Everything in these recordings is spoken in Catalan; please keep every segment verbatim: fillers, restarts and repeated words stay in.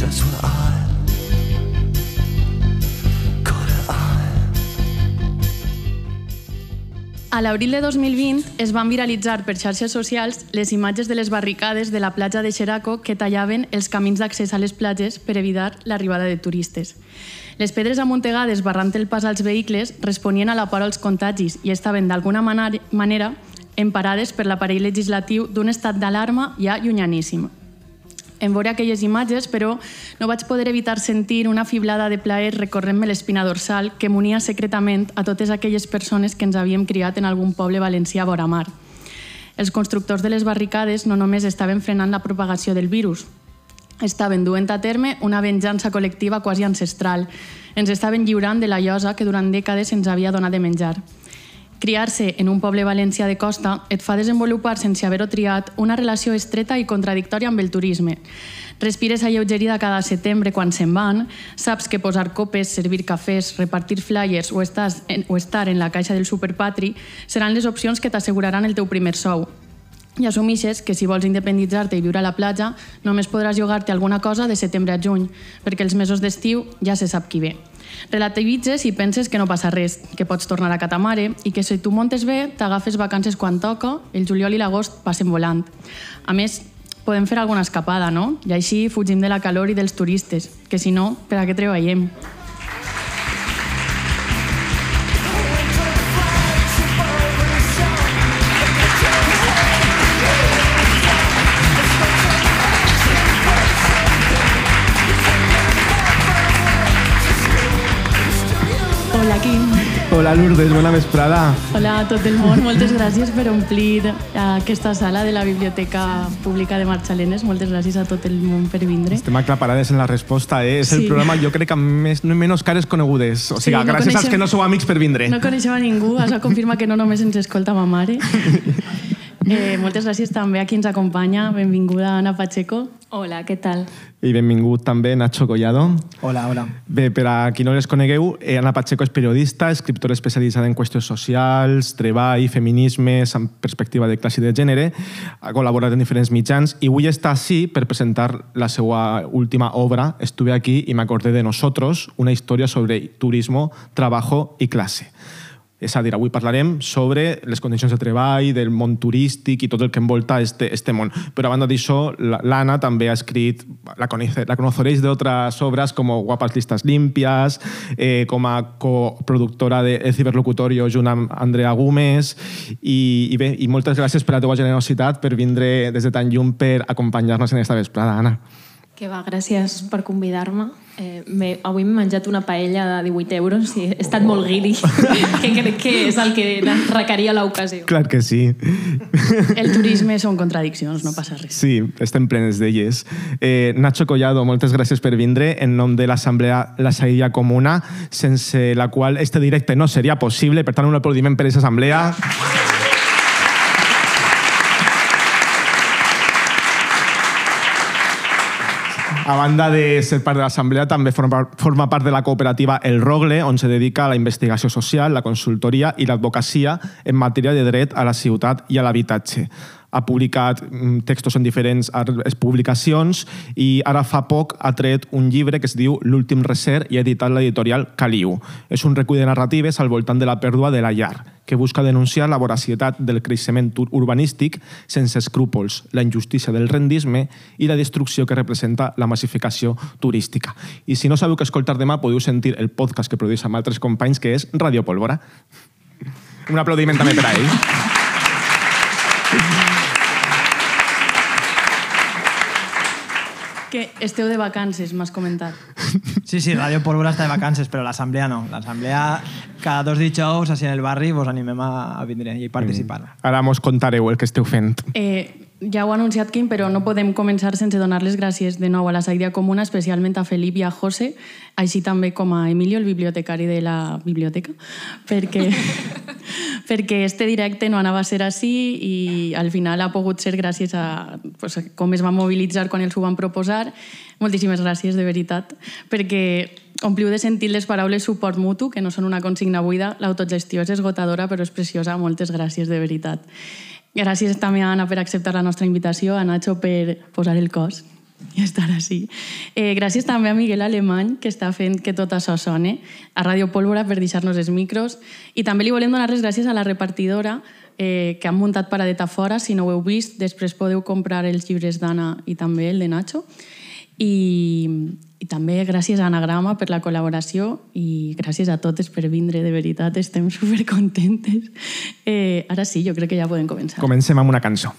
just what I A l'abril de dos mil vint es van viralitzar per xarxes socials les imatges de les barricades de la platja de Xeraco que tallaven els camins d'accés a les platges per evitar l'arribada de turistes. Les pedres amuntegades barrant el pas als vehicles responien a la por als contagis i estaven d'alguna manera emparades per l'aparell legislatiu d'un estat d'alarma ja llunyaníssim. En veure aquelles imatges, però, no vaig poder evitar sentir una fiblada de plaer recorrent-me l'espina dorsal que m'unia secretament a totes aquelles persones que ens havíem criat en algun poble valencià vora mar. Els constructors de les barricades no només estaven frenant la propagació del virus, estaven duent a terme una venjança col·lectiva quasi ancestral. Ens estaven lliurant de la llosa que durant dècades ens havia donat de menjar. Criar-se en un poble valencià de costa et fa desenvolupar, sense haver-ho triat, una relació estreta i contradictòria amb el turisme. Respires alleugerida cada setembre quan se'n van, saps que posar copes, servir cafès, repartir flyers o, estàs en, o estar en la caixa del superpatri seran les opcions que t'asseguraran el teu primer sou. I assumixes que si vols independitzar-te i viure a la platja només podràs llogar-te alguna cosa de setembre a juny, perquè els mesos d'estiu ja se sap qui ve. Relativitzes i penses que no passa res, que pots tornar a casa mare i que si tu montes bé t'agafes vacances quan toca, el juliol i l'agost passen volant. A més, podem fer alguna escapada, no? I així fugim de la calor i dels turistes, que si no, per a què treballem? Hola, Quim. Hola, Lourdes, bona vesprada. Hola a tot el món, moltes gràcies per omplir aquesta sala de la Biblioteca Pública de Marxalenes. Moltes gràcies a tot el món per vindre. Estem aclaparades en la resposta, eh? És Sí. el programa, jo crec, amb més, menys cares conegudes. O sigui, Sí, no gràcies als coneixem- que no sou amics per vindre. No coneixem a ningú, això confirma que no només ens escolta ma mare. Eh, moltes gràcies també a qui ens acompanya. Benvinguda Ana Pacheco. Hola, què tal? I benvingut també Nacho Collado. Hola, hola. Bé, per a qui no les conegueu, eh, Ana Pacheco és periodista, escriptora especialitzada en qüestions socials, treball, feminismes, amb perspectiva de classe i de gènere, ha col·laborat en diferents mitjans i avui està així per presentar la seva última obra, Estuve aquí y me acordé de nosotros, una història sobre turismo, trabajo i classe. És a dir, avui parlarem sobre les condicions de treball, del món turístic i tot el que envolta este, este món. Però a banda d'això, l'Anna també ha escrit, la, conoce, la conoceréis de otras obras como Guapas listas limpias, eh, com a coproductora de El ciberlocutorio junt amb Andrea Gómez i, i bé, i moltes gràcies per la teva generositat per vindre des de tan lluny per acompanyar-nos en esta vesprada, Anna. Que va, gràcies per convidar-me. Eh, avui m'he menjat una paella de divuit euros i he estat molt guiri, que crec que és el que requeria l'ocasió. Clar que sí. El turisme són contradiccions, no passa res. Sí, estem plenes d'elles. Eh, Nacho Collado, moltes gràcies per vindre en nom de l'Assemblea La Saïlla Comuna, sense la qual este directe no seria possible. Per tant, un aplaudiment per aquesta assemblea. A banda de ser part de l'assemblea, també forma, forma part de la cooperativa El Rogle, on se dedica a la investigació social, la consultoria i l'advocacia en matèria de dret a la ciutat i a l'habitatge. Ha publicat textos en diferents publicacions i ara fa poc ha tret un llibre que es diu L'últim recer i ha editat l'editorial Caliu. És un recull de narratives al voltant de la pèrdua de la llar, que busca denunciar la voracietat del creixement urbanístic sense escrúpols, la injustícia del rendisme i la destrucció que representa la massificació turística. I si no sabeu què escoltar demà, podeu sentir el podcast que produeix amb altres companys, que és Radio Pólvora. Un aplaudiment també per a ell. Que esteu de vacances, m'has comentat. Sí, sí, Radio Pólvora està de vacances, però l'assemblea no. L'assemblea, cada dos dijous, així en el barri, vos animem a, a vindre i participar. Ara mos contareu el que esteu fent. Eh, ja ho ha anunciat Quim, però no podem començar sense donar les gràcies de nou a la Saïlla Comuna, especialment a Felip i a José, així també com a Emilio, el bibliotecari de la biblioteca, perquè, perquè este directe no anava a ser així i al final ha pogut ser gràcies a, pues, a com es va mobilitzar quan els ho van proposar. Moltíssimes gràcies, de veritat, perquè ompliu de sentir les paraules suport mutu, que no són una consigna buida. L'autogestió és esgotadora, però és preciosa. Moltes gràcies, de veritat. Gràcies també a Anna per acceptar la nostra invitació, a Nacho per posar el cos. i estar així. Eh, gràcies també a Miguel Alemany, que està fent que tot això sone, a Ràdio Pólvora per deixar-nos els micros, i també li volem donar les gràcies a la repartidora, eh, que han muntat paradeta fora. Si no ho heu vist, després podeu comprar els llibres d'Anna i també el de Nacho. I, i també gràcies a Anagrama per la col·laboració i gràcies a totes per vindre, de veritat, estem supercontentes. Eh, ara sí, jo crec que ja podem començar. Comencem amb una cançó.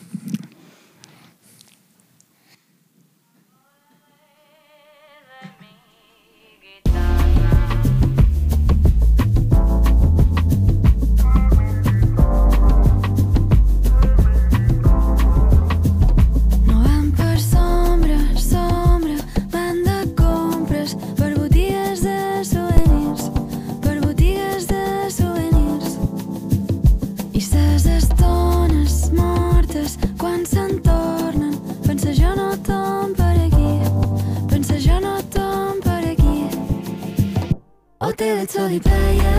Sol i playa,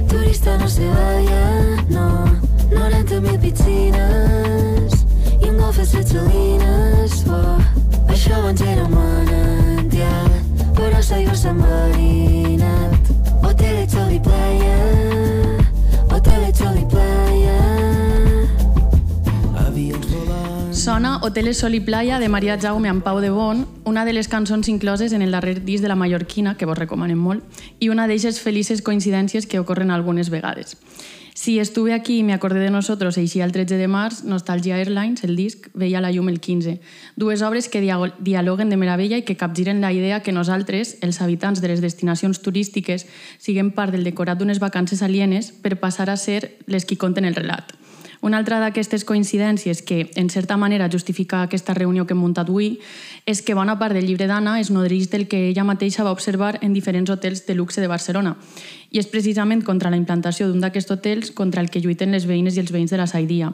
turista no se vaya, no, noranta mil piscines i un golf de salines, oh, això abans era un manantial, però s'aigua s'ha marinat. Hotel, sol i playa, hotel, sol i playa. Sona Hoteles Sol i Playa de Maria Jaume amb Pau de Bon, una de les cançons incloses en el darrer disc de la Mallorquina, que vos recomanem molt, i una d'eixes felices coincidències que ocorren algunes vegades. Si estuve aquí y me acordé de nosotros eixia el tretze de març, Nostalgia Airlines, el disc, veia la llum el quinze. Dues obres que dialoguen de meravella i que capgiren la idea que nosaltres, els habitants de les destinacions turístiques, siguem part del decorat d'unes vacances alienes per passar a ser les qui conten el relat. Una altra d'aquestes coincidències que, en certa manera, justifica aquesta reunió que hem muntat avui és que bona part del llibre d'Anna es nodreix del que ella mateixa va observar en diferents hotels de luxe de Barcelona. I és precisament contra la implantació d'un d'aquests hotels contra el que lluiten les veïnes i els veïns de la Saidia,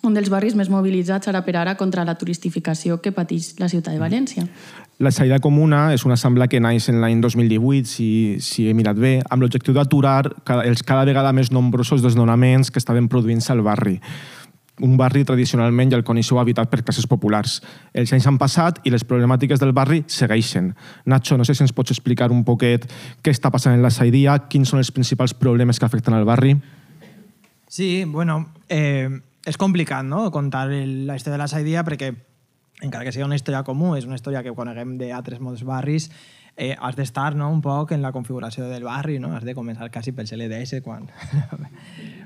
un dels barris més mobilitzats ara per ara contra la turistificació que pateix la ciutat de València. La Saïda Comuna és una assemblea que naix en l'any dos mil divuit, si, si he mirat bé, amb l'objectiu d'aturar els cada vegada més nombrosos desnonaments que estaven produint-se al barri. Un barri tradicionalment ja el coneixeu habitat per classes populars. Els anys han passat i les problemàtiques del barri segueixen. Nacho, no sé si ens pots explicar un poquet què està passant en la Saidia, quins són els principals problemes que afecten al barri? Sí, bueno, eh, és complicat, no?, contar el, la història de la Saidia perquè, encara que sigui una història comú, és una història que coneguem d'altres molts barris, eh, has d'estar, no?, un poc en la configuració del barri, no?, has de començar quasi pel L D S, quan...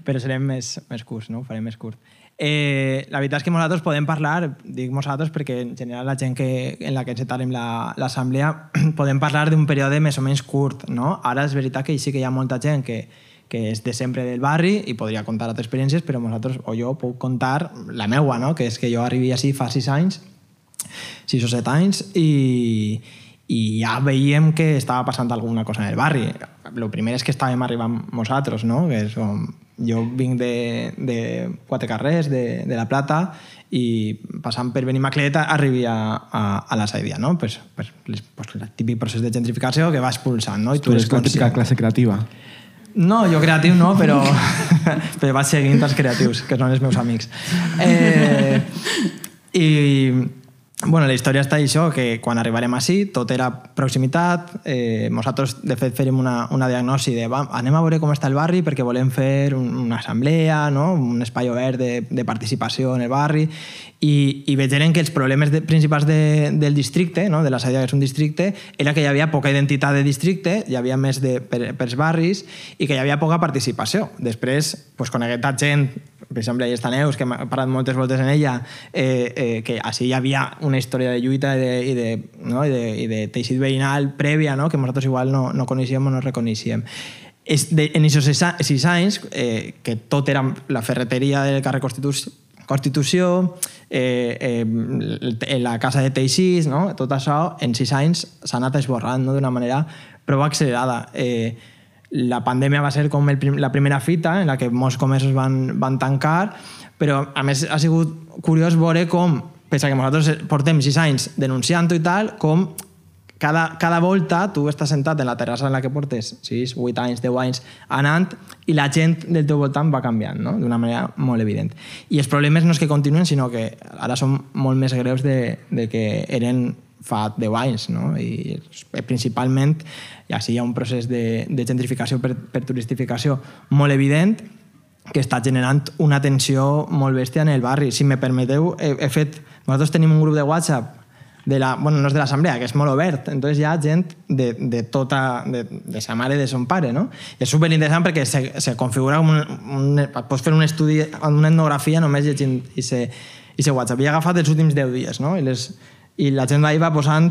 però serem més, més curts, no?, ho farem més curt. Eh, la veritat és que nosaltres podem parlar, dic nosaltres perquè en general la gent que, en la que encetarem l'assemblea, podem parlar d'un període més o menys curt, no? Ara és veritat que sí que hi ha molta gent que, que és de sempre del barri i podria contar altres experiències, però nosaltres, o jo, puc contar la meua, no?, que és que jo arribi així fa sis anys, sis o set anys, i, i ja veiem que estava passant alguna cosa en el barri. El primer és que estàvem arribant nosaltres, no?, que és com... Jo vinc de, de Quatre Carrers, de, de La Plata, i passant per Benimaclet arribi a, a, a la Saidia, no? Pues, pues, pues, el típic procés de gentrificació que va expulsant, no? I tu eres la típica classe creativa. No, jo creatiu no, però, però vaig seguint els creatius, que són els meus amics. Eh, I... Bueno, la història està això, que quan arribarem així tot era proximitat, eh, nosaltres de fet fèrem una, una diagnosi de va, anem a veure com està el barri perquè volem fer un, una assemblea, no?, un espai obert de, de participació en el barri, i, i veiem que els problemes de, principals de, del districte, no?, de la Saidia, que és un districte, era que hi havia poca identitat de districte, hi havia més de, per, pels barris, i que hi havia poca participació. Després, pues, coneguent a gent, per exemple, hi està Neus, que m'ha parlat moltes voltes en ella, eh, eh, que així hi havia una història de lluita i de, i de, no? I de, i de teixit veïnal prèvia, no?, que nosaltres igual no, no coneixíem o no reconeixíem. És de, en aquests sis anys, eh, que tot era la ferreteria del carrer Constitució, Constitució eh, eh, la casa de teixits, no?, tot això en sis anys s'ha anat esborrant, no?, d'una manera prou accelerada. Eh, La pandèmia va ser com el prim, la primera fita en la que molts comerços van, van tancar, però a més ha sigut curiós veure com, pese que nosaltres portem sis anys denunciant-ho i tal, com cada, cada volta tu estàs sentat en la terrassa en la que portes sis, vuit anys, deu anys anant i la gent del teu voltant va canviant, no? D'una manera molt evident. I els problemes no és que continuen, sinó que ara són molt més greus de, de que eren fa deu anys, no? I principalment ja sí, hi ha un procés de, de gentrificació per, per turistificació molt evident que està generant una tensió molt bèstia en el barri. Si me permeteu, he, he fet... Nosaltres tenim un grup de WhatsApp de la, bueno, no és de l'assemblea, que és molt obert, entonces hi ha gent de, de tota, de, de sa mare i de son pare, no? I és superinteressant perquè se, se configura com un, un, pots fer un estudi, una etnografia només llegint i se, i se WhatsApp. I he agafat els últims deu dies, no? I, les, i la gent d'ahir va posant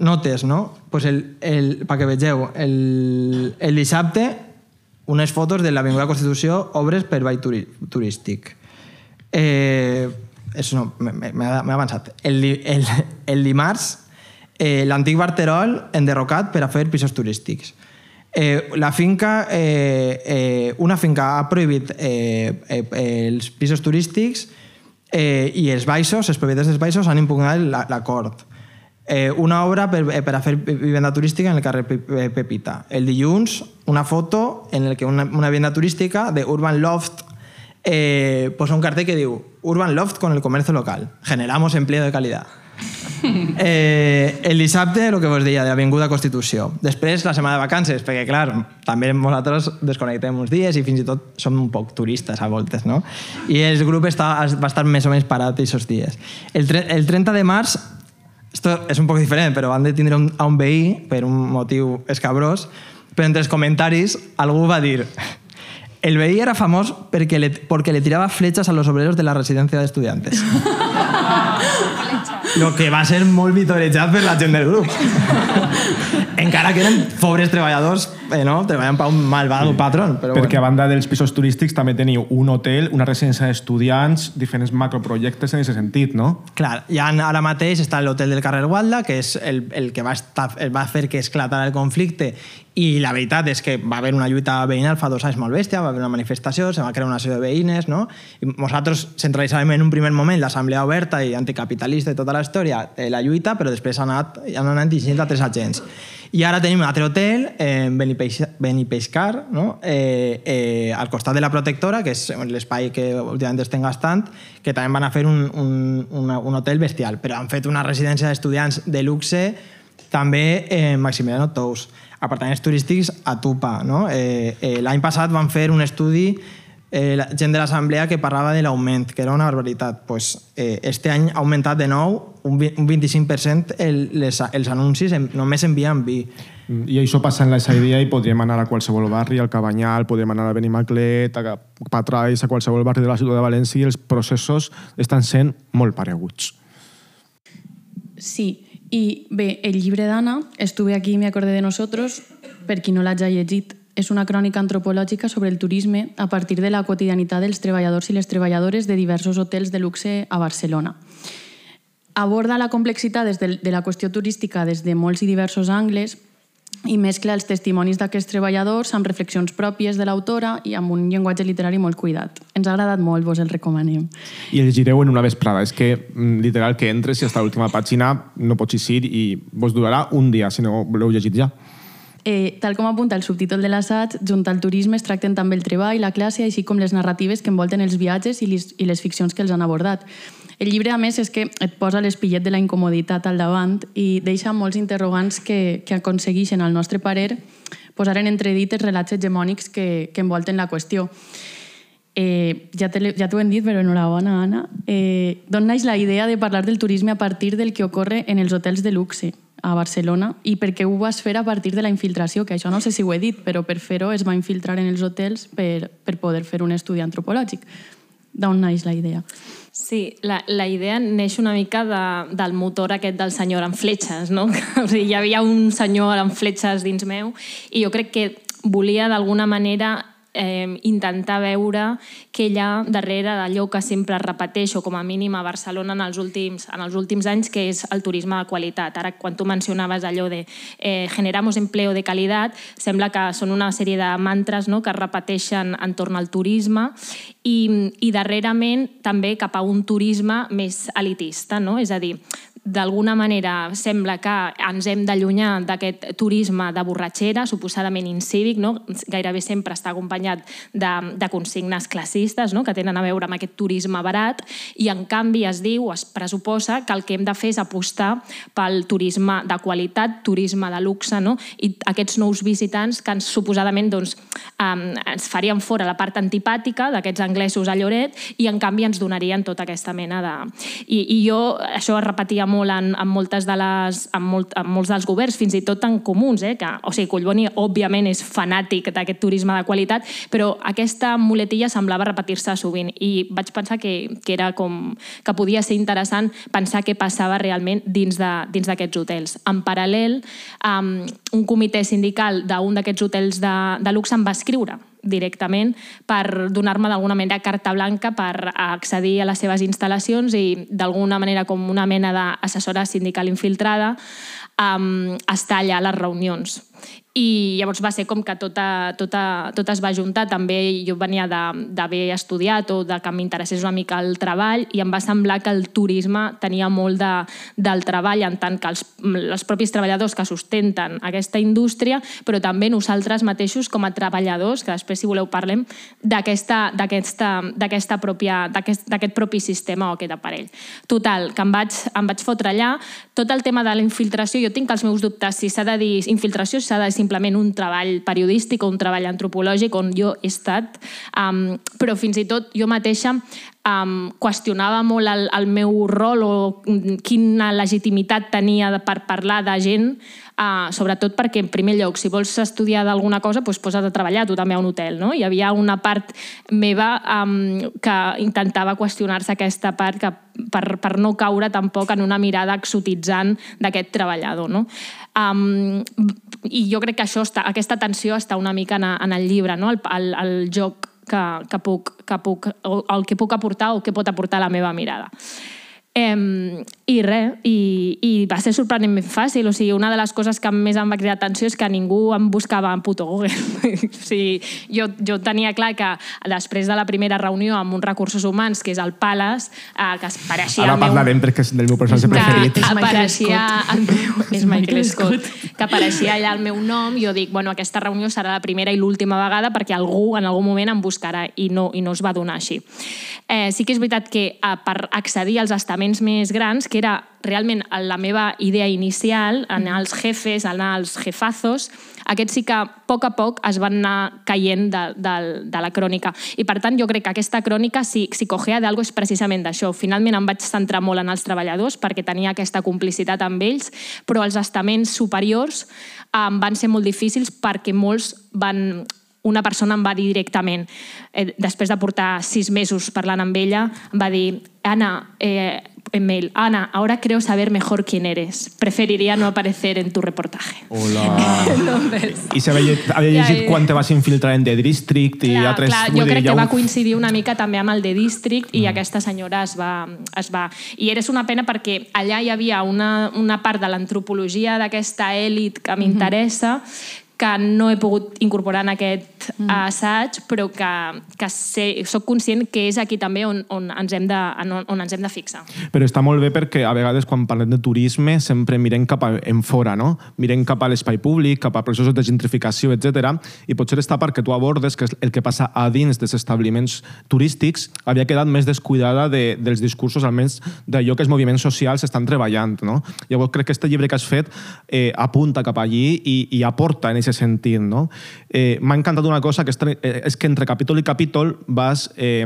notes, no? Pues el, el, perquè vegeu, el, el dissabte unes fotos de l'Avinguda Constitució, obres per ball turi, turístic. Eh... Això no, m'he avançat. El, el, el dimarts, eh, l'antic Barterol enderrocat per a fer pisos turístics. Eh, la finca, eh, eh, una finca ha prohibit eh, eh, els pisos turístics eh, i els baixos, els propietaris dels baixos han impugnat l'acord. Eh, una obra per, per a fer vivenda turística en el carrer Pepita. El dilluns, una foto en el que una, una vivenda turística de Urban Loft Eh, pues un cartel que diu Urban Loft con el comercio local. Generamos empleo de calidad. Eh, el dissabte, el que vos deia, de l'Avinguda Constitució. Després, la setmana de vacances, perquè, clar, també nosaltres desconnectem uns dies i fins i tot som un poc turistes a voltes, no? I el grup està, va estar més o menys parat aquests dies. El, el trenta de març, esto és un poc diferent, però van detindre un, a un veí per un motiu escabrós, però entre els comentaris algú va dir... El veí era famós perquè le, porque le tiraba flechas a los obreros de la residencia de estudiantes. Lo que va ser molt vitorejat per la gent del grup. Encara que eren pobres treballadors, eh, no? Treballant per un malvado patrón. Però perquè bueno. A banda dels pisos turístics també teniu un hotel, una residència d'estudiants, diferents macroprojectes en aquest sentit, no? Clar, ja ara mateix està l'hotel del carrer Gualda, que és el, el que va, estar, va fer que esclatara el conflicte, i la veritat és que va haver una lluita veïnal fa dos anys molt bèstia, va haver una manifestació, se va crear una sèrie de veïnes, no? I nosaltres centralitzàvem en un primer moment l'assemblea oberta i anticapitalista i tota la història de la lluita, però després han anat, han anat dirigint a tres agents. I ara tenim un altre hotel, eh, Benipeixcar, no? eh, eh, al costat de la Protectora, que és l'espai que últimament estem gastant, que també van a fer un, un, una, un hotel bestial, però han fet una residència d'estudiants de luxe també en eh, Maximiliano Tous, apartaments turístics a Tupa, no? Eh, eh, l'any passat van fer un estudi eh, la gent de l'assemblea que parlava de l'augment, que era una barbaritat. Pues, eh, este any ha augmentat de nou un, un vint-i-cinc per cent el, les, els anuncis en, només envien vi. I això passa en la Saidia i podríem anar a qualsevol barri, al Cabanyal, podríem anar a Benimaclet, a Patrais, a qualsevol barri de la ciutat de València, i els processos estan sent molt pareguts. Sí, i bé, el llibre d'Anna, Estuve aquí y me acordé de nosotros, per qui no l'hagi llegit, és una crònica antropològica sobre el turisme a partir de la quotidianitat dels treballadors i les treballadores de diversos hotels de luxe a Barcelona. Aborda la complexitat des de, de la qüestió turística des de molts i diversos angles i mescla els testimonis d'aquests treballadors amb reflexions pròpies de l'autora i amb un llenguatge literari molt cuidat. Ens ha agradat molt, vos el recomanem. I el llegireu en una vesprada. És que, literal, que entres i hasta l'última pàgina no pots eixir i vos durarà un dia, si no voleu llegir ja. Eh, tal com apunta el subtítol de l'assaig, junt al turisme es tracten també el treball, la classe, així com les narratives que envolten els viatges i les, i les ficcions que els han abordat. El llibre, a més, és que et posa l'espillet de la incomoditat al davant i deixa molts interrogants que, que aconsegueixen, al nostre parer, posar en entredit els relats hegemònics que, que envolten la qüestió. Eh, ja t'ho ja hem dit, però enhorabona, Anna. Eh, D'on naix la idea de parlar del turisme a partir del que ocorre en els hotels de luxe a Barcelona i per què ho vas fer a partir de la infiltració, que això no sé si ho he dit, però per fer-ho es va infiltrar en els hotels per, per poder fer un estudi antropològic. D'on naix la idea? Sí, la, la idea neix una mica de, del motor aquest del senyor amb fletxes, no? O sigui, hi havia un senyor amb fletxes dins meu i jo crec que volia d'alguna manera eh, intentar veure què hi ha darrere d'allò que sempre repeteixo, com a mínim a Barcelona en els últims, en els últims anys, que és el turisme de qualitat. Ara, quan tu mencionaves allò de eh, generamos empleo de qualitat, sembla que són una sèrie de mantres, no?, que es repeteixen entorn al turisme i, i darrerament també cap a un turisme més elitista, no? És a dir, d'alguna manera sembla que ens hem d'allunyar d'aquest turisme de borratxera, suposadament incívic, no? Gairebé sempre està acompanyat de, de consignes classistes, no? Que tenen a veure amb aquest turisme barat, i en canvi es diu, es pressuposa, que el que hem de fer és apostar pel turisme de qualitat, turisme de luxe, no? I aquests nous visitants que ens, suposadament doncs, um, ens farien fora la part antipàtica d'aquests anglesos a Lloret i en canvi ens donarien tota aquesta mena de... I, i jo, això es repetia molt en, en, moltes de les, en, molt, en molts dels governs, fins i tot en comuns, eh? Que, o sigui, Collboni òbviament és fanàtic d'aquest turisme de qualitat, però aquesta muletilla semblava repetir-se sovint i vaig pensar que, que era com que podia ser interessant pensar què passava realment dins d'aquests hotels. En paral·lel, um, un comitè sindical d'un d'aquests hotels de, de luxe em va escriure directament per donar-me d'alguna manera carta blanca per accedir a les seves instal·lacions i d'alguna manera com una mena d'assessora sindical infiltrada um, estar allà a les reunions. I llavors va ser com que tot, tot, tot es va juntar. També jo venia d'haver estudiat o de que m'interessés una mica el treball i em va semblar que el turisme tenia molt de, del treball en tant que els, els propis treballadors que sustenten aquesta indústria, però també nosaltres mateixos com a treballadors, que després si voleu parlem d'aquest propi sistema o aquest aparell. Total, que em vaig, em vaig fotre allà. Tot el tema de la infiltració, jo tinc els meus dubtes si s'ha de dir infiltració, si s'ha de dir simplement un treball periodístic o un treball antropològic on jo he estat, um, però fins i tot jo mateixa um, qüestionava molt el, el meu rol o quina legitimitat tenia per parlar de gent, uh, sobretot perquè, en primer lloc, si vols estudiar d'alguna cosa, doncs posa't a treballar tu també a un hotel, no? Hi havia una part meva um, que intentava qüestionar-se aquesta part que, per, per no caure tampoc en una mirada exotitzant d'aquest treballador, no? Um, i jo crec que això està, aquesta tensió està una mica en, en el llibre, no? el, el, el joc que, que, puc, que puc, el que puc aportar o que pot aportar la meva mirada. Eh, I res, i, i va ser sorprenentment fàcil. O sigui, una de les coses que més em va cridar atenció és que ningú em buscava en puto Google. O sigui, jo, jo tenia clar que després de la primera reunió amb uns recursos humans, que és el Palace, eh, que es pareixia... Ara parlarem meu, perquè és del meu personatge preferit. Que apareixia el meu... És Michael Scott. Que apareixia allà el meu nom, i jo dic, bueno, aquesta reunió serà la primera i l'última vegada perquè algú en algun moment em buscarà, i no, i no es va donar així. Eh, sí que és veritat que eh, per accedir als estaments més grans, que era realment la meva idea inicial, anar als jefes, anar als jefazos, aquests sí que a poc a poc es van anar caient de, de, de la crònica. I per tant jo crec que aquesta crònica, si, si cogea d'algo, és precisament d'això. Finalment em vaig centrar molt en els treballadors perquè tenia aquesta complicitat amb ells, però els estaments superiors eh, van ser molt difícils perquè molts van... Una persona em va dir directament, eh, després de portar sis mesos parlant amb ella, em va dir, Ana, eh, en mail, Ana, ahora creo saber mejor quién eres. Preferiría no aparecer en tu reportaje. Hola. Entonces, I s'havia havia llegit ja, quan te vas infiltrar en The District i clar, altres... Clar, jo crec dir, que ja va coincidir una mica també amb el The District i mm. aquesta senyora es va, es va... I era una pena perquè allà hi havia una, una part de l'antropologia d'aquesta èlit que m'interessa, mm-hmm. que no he pogut incorporar en aquest mm. assaig, però que, que sé, soc conscient que és aquí també on, on, ens hem de, on, on ens hem de fixar. Però està molt bé perquè a vegades quan parlem de turisme sempre mirem cap a en fora, no? Mirem cap a l'espai públic, cap a processos de gentrificació, etcètera. I potser està perquè tu abordes que el que passa a dins dels establiments turístics havia quedat més descuidada de, dels discursos, almenys d'allò que els moviments socials estan treballant, no? Llavors crec que aquest llibre que has fet eh, apunta cap allí i, i aporta en aquest sentit, no? Eh, M'ha encantat una cosa, que és, és que entre capítol i capítol vas eh,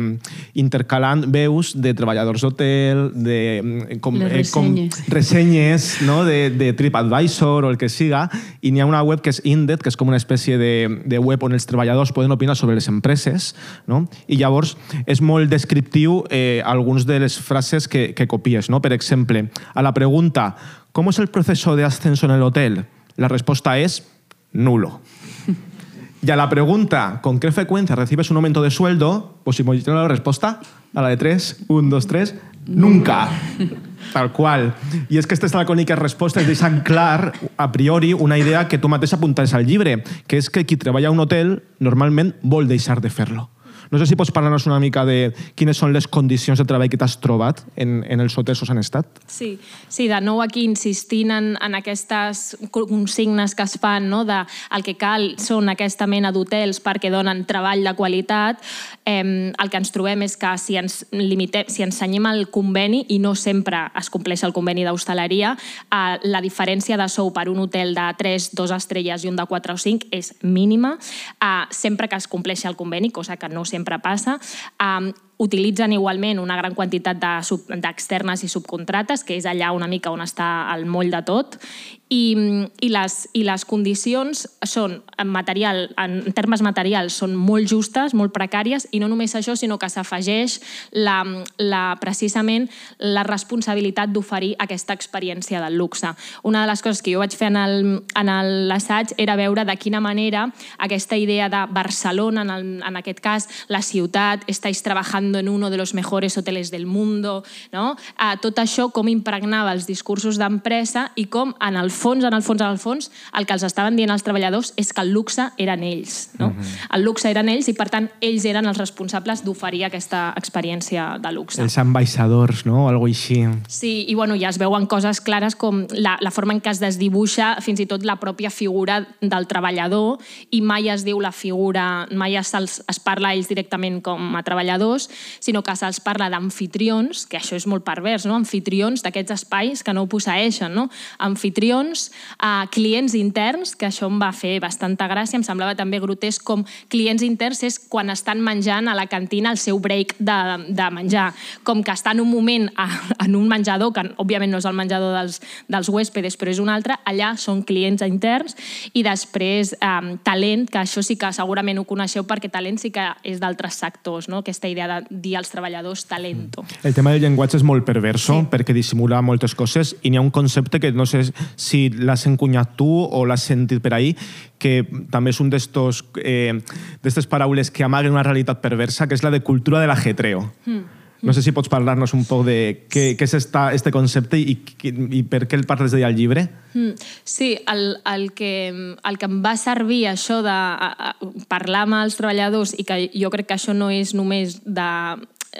intercalant veus de treballadors d'hotel, de com, Les ressenyes, eh, com, ressenyes no? de, de TripAdvisor o el que siga, i n'hi ha una web que és Indeed, que és com una espècie de, de web on els treballadors poden opinar sobre les empreses, no? I llavors és molt descriptiu eh, alguns de les frases que, que copies, no? Per exemple, a la pregunta ¿cómo es el proceso de ascenso en el hotel? La respuesta es nulo. Y a la pregunta, ¿con qué frecuencia recibes un aumento de sueldo? Pues si me dijeron la respuesta, a la de tres, un, dos, tres, nunca. Tal qual. I és que aquestes lacòniques respostes deixen clar, a priori, una idea que tu mateix apuntes al llibre, que és que qui treballa a un hotel normalment vol deixar de fer-lo. No sé si pots parlar-nos una mica de quines són les condicions de treball que t'has trobat en, en els hotels on has estat. Sí, sí, de nou aquí insistint en, en aquestes consignes que es fan, no? De, el que cal són aquesta mena d'hotels perquè donen treball de qualitat. Eh, el que ens trobem és que si ens limitem, si ens cenyim al conveni i no sempre es compleix el conveni d'hostaleria, eh, la diferència de sou per un hotel de tres, dos estrelles i un de quatre o cinc és mínima, eh, sempre que es compleixi el conveni, cosa que no sempre passa. Eh, utilitzen igualment una gran quantitat d'externes i subcontrates, que és allà una mica on està el moll de tot, i, i, les, i les condicions són, en, material, en termes materials, són molt justes, molt precàries, i no només això, sinó que s'afegeix la, la, precisament la responsabilitat d'oferir aquesta experiència del luxe. Una de les coses que jo vaig fer en l'assaig era veure de quina manera aquesta idea de Barcelona, en, el, en aquest cas, la ciutat, estáis trabajando en uno de los mejores hoteles del mundo, no? Eh, tot això com impregnava els discursos d'empresa i com en el fons, en el fons, en el fons, el que els estaven dient els treballadors és que el luxe eren ells. No? Uh-huh. El luxe eren ells i, per tant, ells eren els responsables d'oferir aquesta experiència de luxe. Els ambaixadors, no? O algo així. Sí, i bueno, ja es veuen coses clares com la, la forma en què es desdibuixa fins i tot la pròpia figura del treballador i mai es diu la figura, mai es, es parla a ells directament com a treballadors, sinó que se'ls parla d'amfitrions, que això és molt pervers, no? Amfitrions d'aquests espais que no ho posseeixen, no? Amfitrions, eh, clients interns, que això em va fer bastanta gràcia, em semblava també grotesc com clients interns és quan estan menjant a la cantina el seu break de, de menjar, com que estan un moment a, en un menjador, que òbviament no és el menjador dels, dels huéspedes, però és un altre, allà són clients interns, i després eh, talent, que això sí que segurament ho coneixeu perquè talent sí que és d'altres sectors, no? Aquesta idea de dir als treballadors talento. El tema del llenguatge és molt perverso, sí, perquè dissimula moltes coses i n'hi ha un concepte que no sé si l'has encunyat tu o l'has sentit per ahí, que també és un d'estos eh, d'estes paraules que amaguen una realitat perversa, que és la de cultura de l'ajetreo. Mm. No sé si pots parlar-nos un poc de què, què és esta, este concepte i, i per què el parles d'ell al llibre. Sí, el, el, que, el que em va servir això de a, a, parlar amb els treballadors i que jo crec que això no és només de...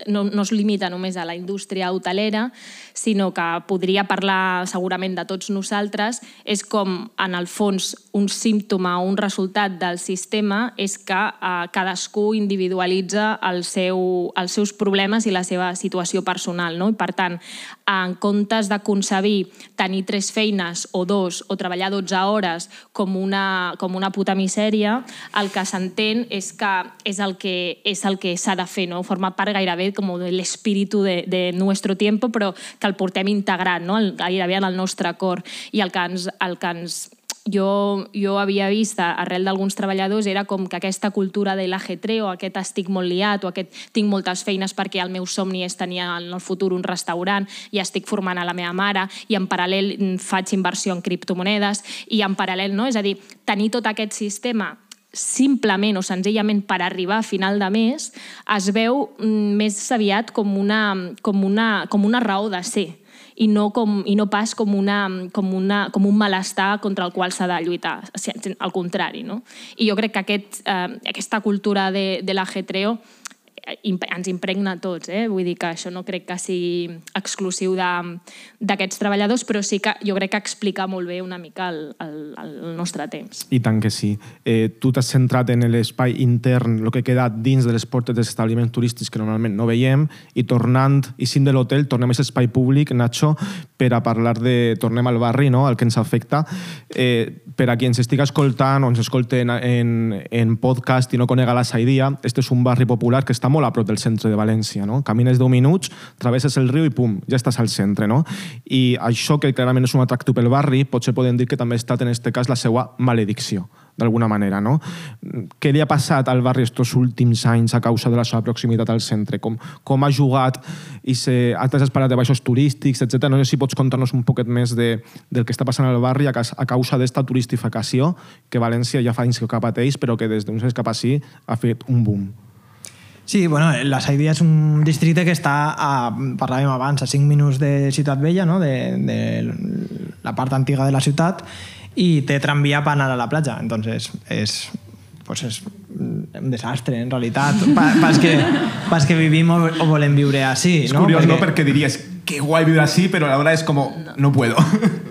No, no es limita només a la indústria hotelera, sinó que podria parlar segurament de tots nosaltres, és com, en el fons, un símptoma o un resultat del sistema és que eh, cadascú individualitza el seu, els seus problemes i la seva situació personal, no? I, per tant, en comptes de concebir tenir tres feines o dos o treballar dotze hores com una, com una puta misèria, el que s'entén és que és el que, és el que s'ha de fer, no? Forma part gairebé com l'espíritu de, de nuestro tiempo, però que el portem integrat, no? Gairebé en el nostre cor. I el que ens, el que ens jo, jo havia vist arrel d'alguns treballadors era com que aquesta cultura de l'ajetreo, aquest estic molt liat o aquest tinc moltes feines perquè el meu somni és tenir en el futur un restaurant i estic formant a la meva mare i en paral·lel faig inversió en criptomonedes i en paral·lel, no? És a dir, tenir tot aquest sistema simplement o senzillament per arribar a final de mes es veu més aviat com una, com una, com una raó de ser i no, com, i no pas com, una, com, una, com un malestar contra el qual s'ha de lluitar, al contrari, no? I jo crec que aquest, eh, aquesta cultura de, de l'ajetreo ens impregna a tots, eh? Vull dir que això no crec que sigui exclusiu d'aquests treballadors, però sí que jo crec que explica molt bé una mica el, el, el nostre temps. I tant que sí. Eh, tu t'has centrat en l'espai intern, el que queda dins de les portes dels establiments turístics que normalment no veiem, i tornant, i sint de l'hotel, tornem a aquest espai públic, Nacho, per a parlar de... Tornem al barri, no?, al que ens afecta. Eh, per a qui ens estigui escoltant o ens escolti en, en, en podcast i no conega la Saidia, este és un barri popular que està molt a prop del centre de València, no? Camines deu minuts, travesses el riu i pum, ja estàs al centre, no? I això, que clarament és un atractiu pel barri, potser podem dir que també ha estat en aquest cas la seva maledicció, d'alguna manera, no? Què li ha passat al barri estos últims anys a causa de la seva proximitat al centre? Com, com ha jugat i se, has parlat de baixos turístics, etcètera. No sé si pots contar-nos un poquet més de, del que està passant al barri a, a causa d'esta turistificació que València ja fa anys que pateix, però que des d'uns anys cap així ha fet un boom. Sí, bueno, la Saidia és un districte que està, a, parlàvem abans, a cinc minuts de Ciutat Vella, no? de, de la part antiga de la ciutat, i té tramvia per anar a la platja. Entonces, és, pues és un desastre, en realitat. Pa, pas, que, pas que vivim o, o volem viure així. És no? curiós, perquè, ¿no? Perquè diries, que guai viure així, però alhora és com, no puedo.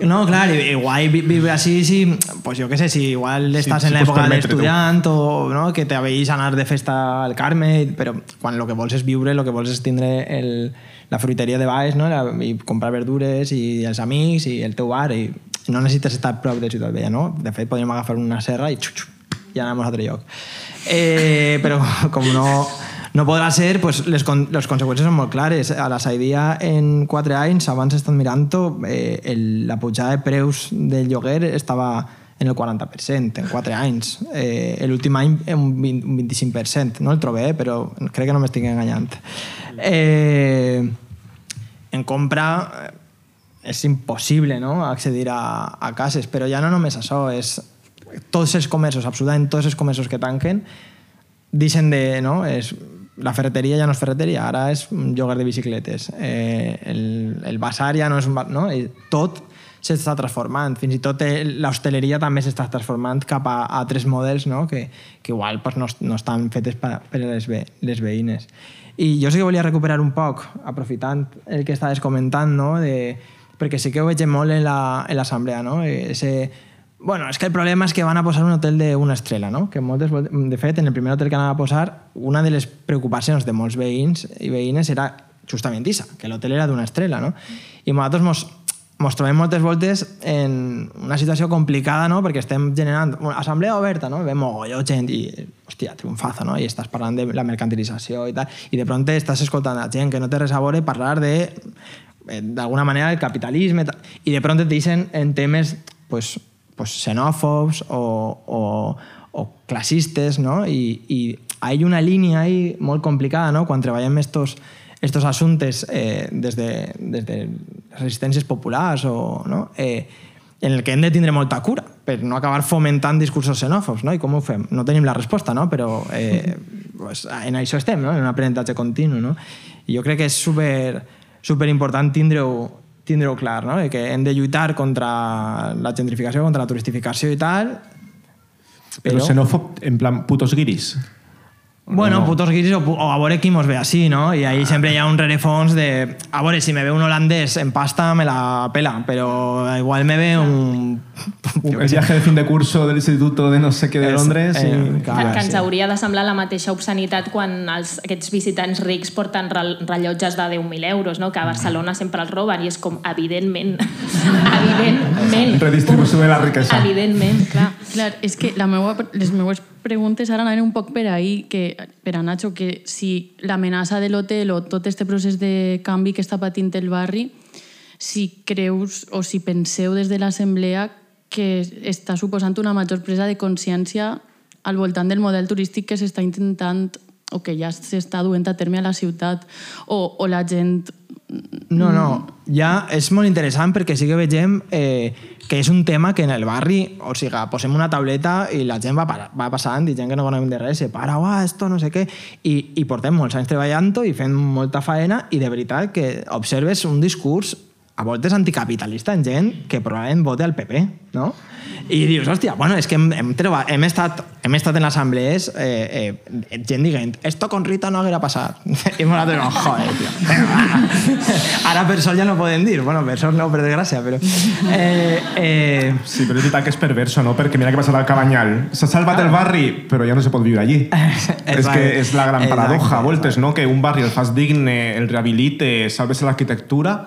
No, clar, i, i guai viure així si, pues jo què sé, si igual estàs sí, en si l'època pots d'estudiant o no, que t'aveïs anar de festa al Carme, però quan el que vols és viure, el que vols és tindre el, la fruiteria de baix, no? La, i comprar verdures i els amics i el teu bar, i no necessites estar a prop de Ciutat Vella, no? De fet, podríem agafar una serra i xup, xup, ja anem a un altre lloc. Eh, però com no... No podrà ser, pues, les, con les conseqüències són molt clares. A la Saidia, en quatre anys, abans estan mirant-ho, eh, el, la pujada de preus del lloguer estava en el quaranta per cent, en quatre anys. Eh, L'últim any, un, vint, un vint-i-cinc per cent. No el trobé, però crec que no m'estic enganyant. Eh, en compra és impossible, no?, accedir a, a cases, però ja no només això, és tots els comerços, absolutament tots els comerços que tanquen, deixen de... No? És, la ferreteria ja no és ferreteria, ara és un lloguer de bicicletes. Eh, el, el basar ja no és un... No? I tot s'està transformant. Fins i tot l'hostaleria també s'està transformant cap a altres models, no? que, que igual pues, no, no estan fetes per, per les, ve, les veïnes. I jo sí que volia recuperar un poc, aprofitant el que estaves comentant, no? de, perquè sí que ho veig molt en l'assemblea, no? Ese... Bueno, és que el problema és que van a posar un hotel d'una estrella, no? Que moltes, de fet, en el primer hotel que anaven a posar, una de les preocupacions de molts veïns i veïnes era justament això, que l'hotel era d'una estrella, no? I nosaltres mos, mos trobem moltes voltes en una situació complicada, no? Perquè estem generant una assemblea oberta, no? Ve mogolló gent i, hòstia, triomfazo, no? I estàs parlant de la mercantilització i tal, i de pronto estàs escoltant a gent que no té res a veure parlar de, d'alguna manera, el capitalisme, i de pronto et deixen en temes, pues, pues, xenòfobs o, o, o classistes, no? I, i hay una línia ahí molt complicada, no? Quan treballem estos, estos assumptes eh, des, de, des de resistències populars o, no? eh, en el que hem de tindre molta cura per no acabar fomentant discursos xenòfobs, no? I com ho fem? No tenim la resposta, no? Però eh, pues, en això estem, no? En un aprenentatge continu, no? I jo crec que és super, super important tindre-ho tindre-ho clar, no? Que hem de lluitar contra la gentrificació, contra la turistificació i tal. Però, però xenòfob, en plan, putos guiris. Bueno, no. putos guiris o, o a veure qui mos ve així, no? I ahí sempre hi ha un rerefons de... A veure, si me ve un holandès en pasta me la pela, però igual me ve un... El viaje de fin de curso del instituto de no sé què de Londres. Eh, i... clar, que ens sí. hauria de semblar la mateixa obscenitat quan els, aquests visitants rics porten rellotges de deu mil euros, no? Que a Barcelona sempre els roben i és com, evidentment, evidentment. Redistribució de la riquesa. Evidentment, clar. Clar, és que la meua, les meues preguntes ara anaven un poc per ahí, que, per a Nacho, que si l'amenaça de l'hotel o tot este procés de canvi que està patint el barri, si creus o si penseu des de l'assemblea que està suposant una major presa de consciència al voltant del model turístic que s'està intentant o que ja s'està duent a terme a la ciutat, o, o la gent... No, no, ja és molt interessant perquè sí que vegem eh, que és un tema que en el barri, o sigui, posem una tauleta i la gent va, va passant i gent que no coneixem de res, se para, uah, esto no sé què, i, i portem molts anys treballant-ho i fent molta faena i de veritat que observes un discurs a voltes anticapitalista en gent que probablement vote al P P, no? I dius, hòstia, bueno, és que hem, hem, treballat, hem, estat, hem estat en assemblees eh, eh, gent dient, esto con Rita no haguera passat. I nosaltres, no, joder, tio. Ara per sol ja no podem dir, bueno, per sol no, per desgràcia, però... Eh, eh... Sí, però és veritat que és perverso, no? Perquè mira què passarà al Cabanyal. S'ha salvat el barri, però ja no se pot viure allí. És que és la gran paradoja, a voltes, no? Que un barri el fas digne, el rehabilite, salves l'arquitectura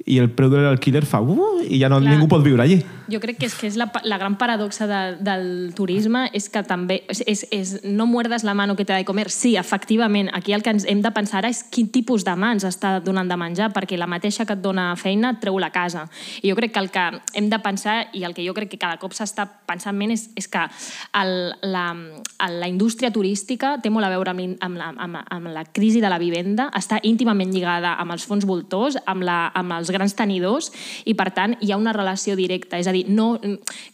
i el preu de l'alquiler fa uh, i ja no, ningú pot viure allí. Jo crec que és, que és la, la gran paradoxa de, del turisme és que també és, és, és no muerdes la mano que te da de comer. Sí, efectivament, aquí el que ens hem de pensar és quin tipus de mans està donant de menjar, perquè la mateixa que et dona feina et treu la casa. I jo crec que el que hem de pensar, i el que jo crec que cada cop s'està pensant menys, és, és que el, la, la indústria turística té molt a veure amb, amb, la, amb, amb la crisi de la vivenda, està íntimament lligada amb els fons voltors, amb, la, amb els grans tenidors, i per tant hi ha una relació directa. És a dir, no,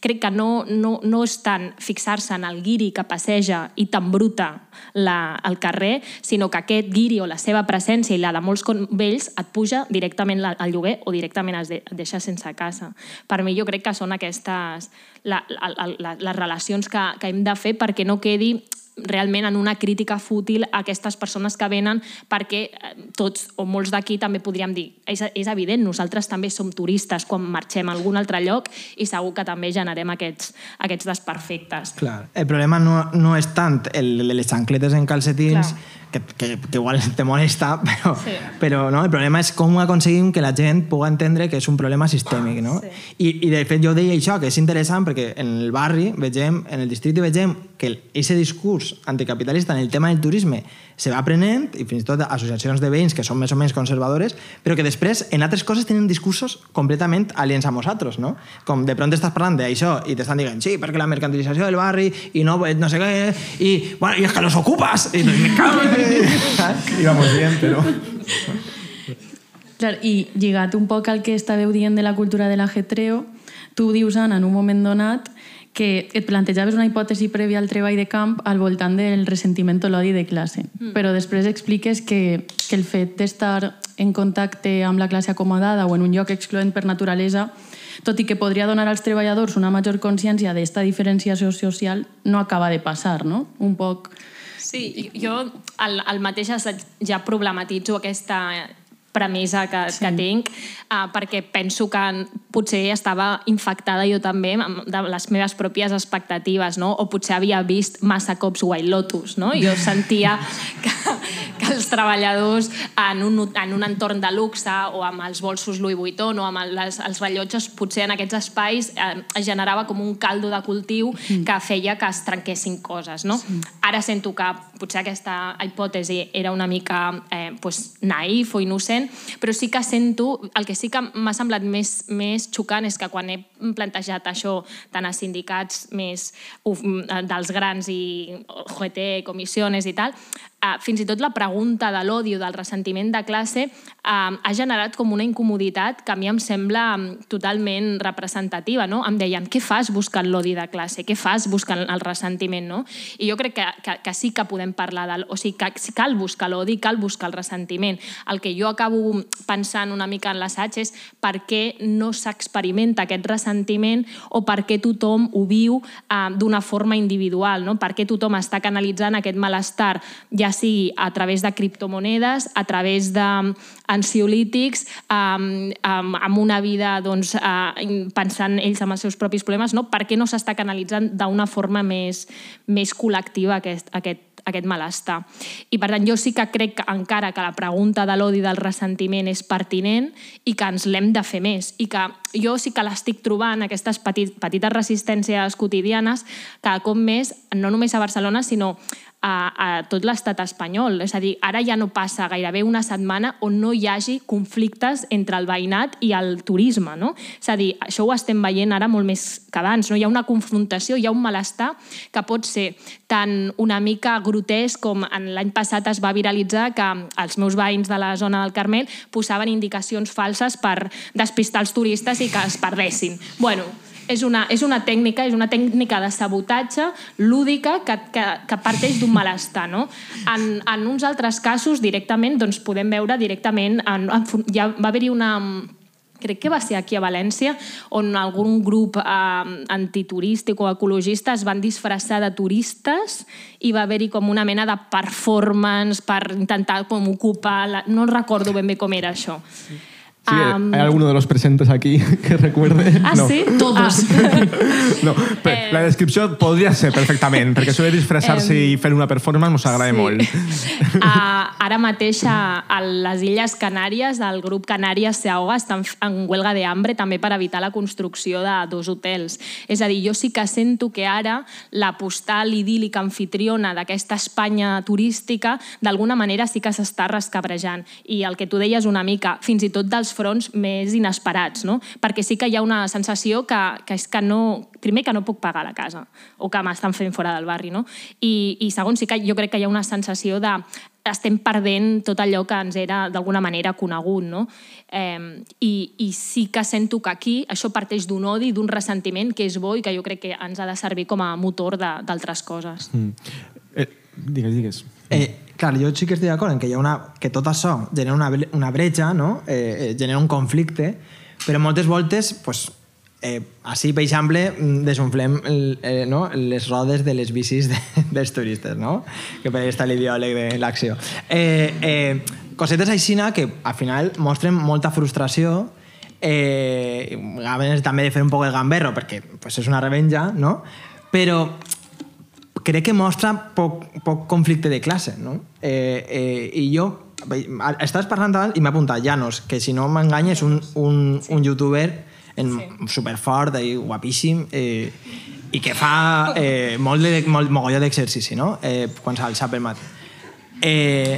crec que no, no, no és tant fixar-se en el guiri que passeja i t'embruta la, el carrer, sinó que aquest guiri o la seva presència i la de molts vells et puja directament al lloguer o directament es, de, et deixa sense casa. Per mi jo crec que són aquestes la, la, la, les relacions que, que hem de fer perquè no quedi realment en una crítica fútil a aquestes persones que venen, perquè tots o molts d'aquí també podríem dir, és, és evident, nosaltres també som turistes quan marxem a algun altre lloc i segur que també generem aquests, aquests desperfectes. Clar. El problema no, no és tant el de les xancletes en calcetins, que, que, que igual te molesta, però, sí. però no? El problema és com aconseguim que la gent pugui entendre que és un problema sistèmic. No? Sí. I, I de fet jo deia això, que és interessant perquè en el barri vegem, en el districte vegem que aquest discurs anticapitalista en el tema del turisme se va aprenent, i fins i tot associacions de veïns que són més o menys conservadores, però que després en altres coses tenen discursos completament aliens a nosaltres, no? Com de pront estàs parlant d'això i t'estan dient, sí, perquè la mercantilització del barri i no, no sé què, i, bueno, i és que los ocupas, i me cago en... Íbamos bien, però... Clar, i lligat un poc al que estàveu dient de la cultura de l'ajetreo, tu dius, Anna, en un moment donat, que et plantejaves una hipòtesi prèvia al treball de camp al voltant del ressentiment o l'odi de classe. Mm. Però després expliques que, que el fet d'estar en contacte amb la classe acomodada o en un lloc excloent per naturalesa, tot i que podria donar als treballadors una major consciència d'esta diferenciació social, no acaba de passar, no? Un poc... Sí, jo al, al mateix ja problematitzo aquesta premissa que, sí. que tinc, uh, perquè penso que potser estava infectada jo també de les meves pròpies expectatives, no? O potser havia vist massa cops White Lotus, no? Jo sentia que, que els treballadors en un, en un entorn de luxe o amb els bolsos Louis Vuitton o amb les, els rellotges, potser en aquests espais eh, es generava com un caldo de cultiu mm. que feia que es trenquessin coses, no? Sí. Ara sento que potser aquesta hipòtesi era una mica eh, pues, naïf o innocent, però sí que sento, el que sí que m'ha semblat més, més xocant és que quan he plantejat això tant a sindicats més uf, dels grans i O G T, comissiones i tal, Uh, fins i tot la pregunta de l'odi o del ressentiment de classe uh, ha generat com una incomoditat que a mi em sembla um, totalment representativa, no? Em deien, què fas buscant l'odi de classe? Què fas buscant el ressentiment, no? I jo crec que, que, que sí que podem parlar del... O sigui, que cal buscar l'odi, cal buscar el ressentiment. El que jo acabo pensant una mica en l'assaig és per què no s'experimenta aquest ressentiment o per què tothom ho viu uh, d'una forma individual, no? Per què tothom està canalitzant aquest malestar, ja ja sigui a través de criptomonedes, a través d'ansiolítics, um, um, amb una vida doncs, uh, pensant ells en els seus propis problemes, no? Per què no s'està canalitzant d'una forma més, més col·lectiva aquest, aquest, aquest malestar? I per tant, jo sí que crec que encara que la pregunta de l'odi del ressentiment és pertinent i que ens l'hem de fer més i que jo sí que l'estic trobant, aquestes petit, petites resistències quotidianes, cada cop més, no només a Barcelona, sinó a, a tot l'estat espanyol. És a dir, ara ja no passa gairebé una setmana on no hi hagi conflictes entre el veïnat i el turisme, no? És a dir, això ho estem veient ara molt més que abans, no? Hi ha una confrontació, hi ha un malestar que pot ser tant una mica grotesc com l'any passat es va viralitzar que els meus veïns de la zona del Carmel posaven indicacions falses per despistar els turistes i que es perdessin. Bueno, és una, és una tècnica, és una tècnica de sabotatge lúdica que, que, que parteix d'un malestar, no? En, en uns altres casos, directament, doncs podem veure directament... En, en, ja va haver-hi una... crec que va ser aquí a València, on algun grup eh, antiturístic o ecologista es van disfressar de turistes i va haver-hi com una mena de performance per intentar com ocupar... La... No recordo ben bé com era això. Sí, um... ¿hay alguno de los presentes aquí que recuerde? Ah, no. sí? Todos. Ah. No, eh... la descripció podria ser perfectament, perquè això de disfressar-se eh... i fer una performance mos agrada sí. molt. Uh, ara mateix a, a les Illes Canàries, el grup Canàries se ahoga, estan en huelga de hambre també per evitar la construcció de dos hotels. És a dir, jo sí que sento que ara la postal idíl·lica anfitriona d'aquesta Espanya turística d'alguna manera sí que s'està rescabrejant. I el que tu deies una mica, fins i tot dels fronts més inesperats, no? Perquè sí que hi ha una sensació que, que és que no... Primer, que no puc pagar la casa o que m'estan fent fora del barri, no? I, i segon, sí que jo crec que hi ha una sensació de estem perdent tot allò que ens era d'alguna manera conegut, no? Eh, i, I sí que sento que aquí això parteix d'un odi, d'un ressentiment que és bo i que jo crec que ens ha de servir com a motor d'altres coses. Mm. Eh, digues, digues. Eh, clar, jo sí que estic d'acord en que, hi ha una, que tot això genera una, una bretxa, no? eh, eh, genera un conflicte, però moltes voltes pues, Eh, així, per exemple, desunflem eh, no? les rodes de les bicis de, dels turistes, no? Que per està l'ideòleg de l'acció. Eh, eh, cosetes així que al final mostren molta frustració, eh, a vegades també de fer un poc el gamberro, perquè pues, és una revenja, no? Però crec que mostra poc, poc conflicte de classe, no? Eh, eh, I jo estaves parlant abans i m'he apuntat Llanos, que si no m'enganya és un, un, un youtuber en, sí. superfort i guapíssim eh, i que fa eh, molt, de, molt mogolló d'exercici, no? Eh, quan s'alça pel matí. Eh,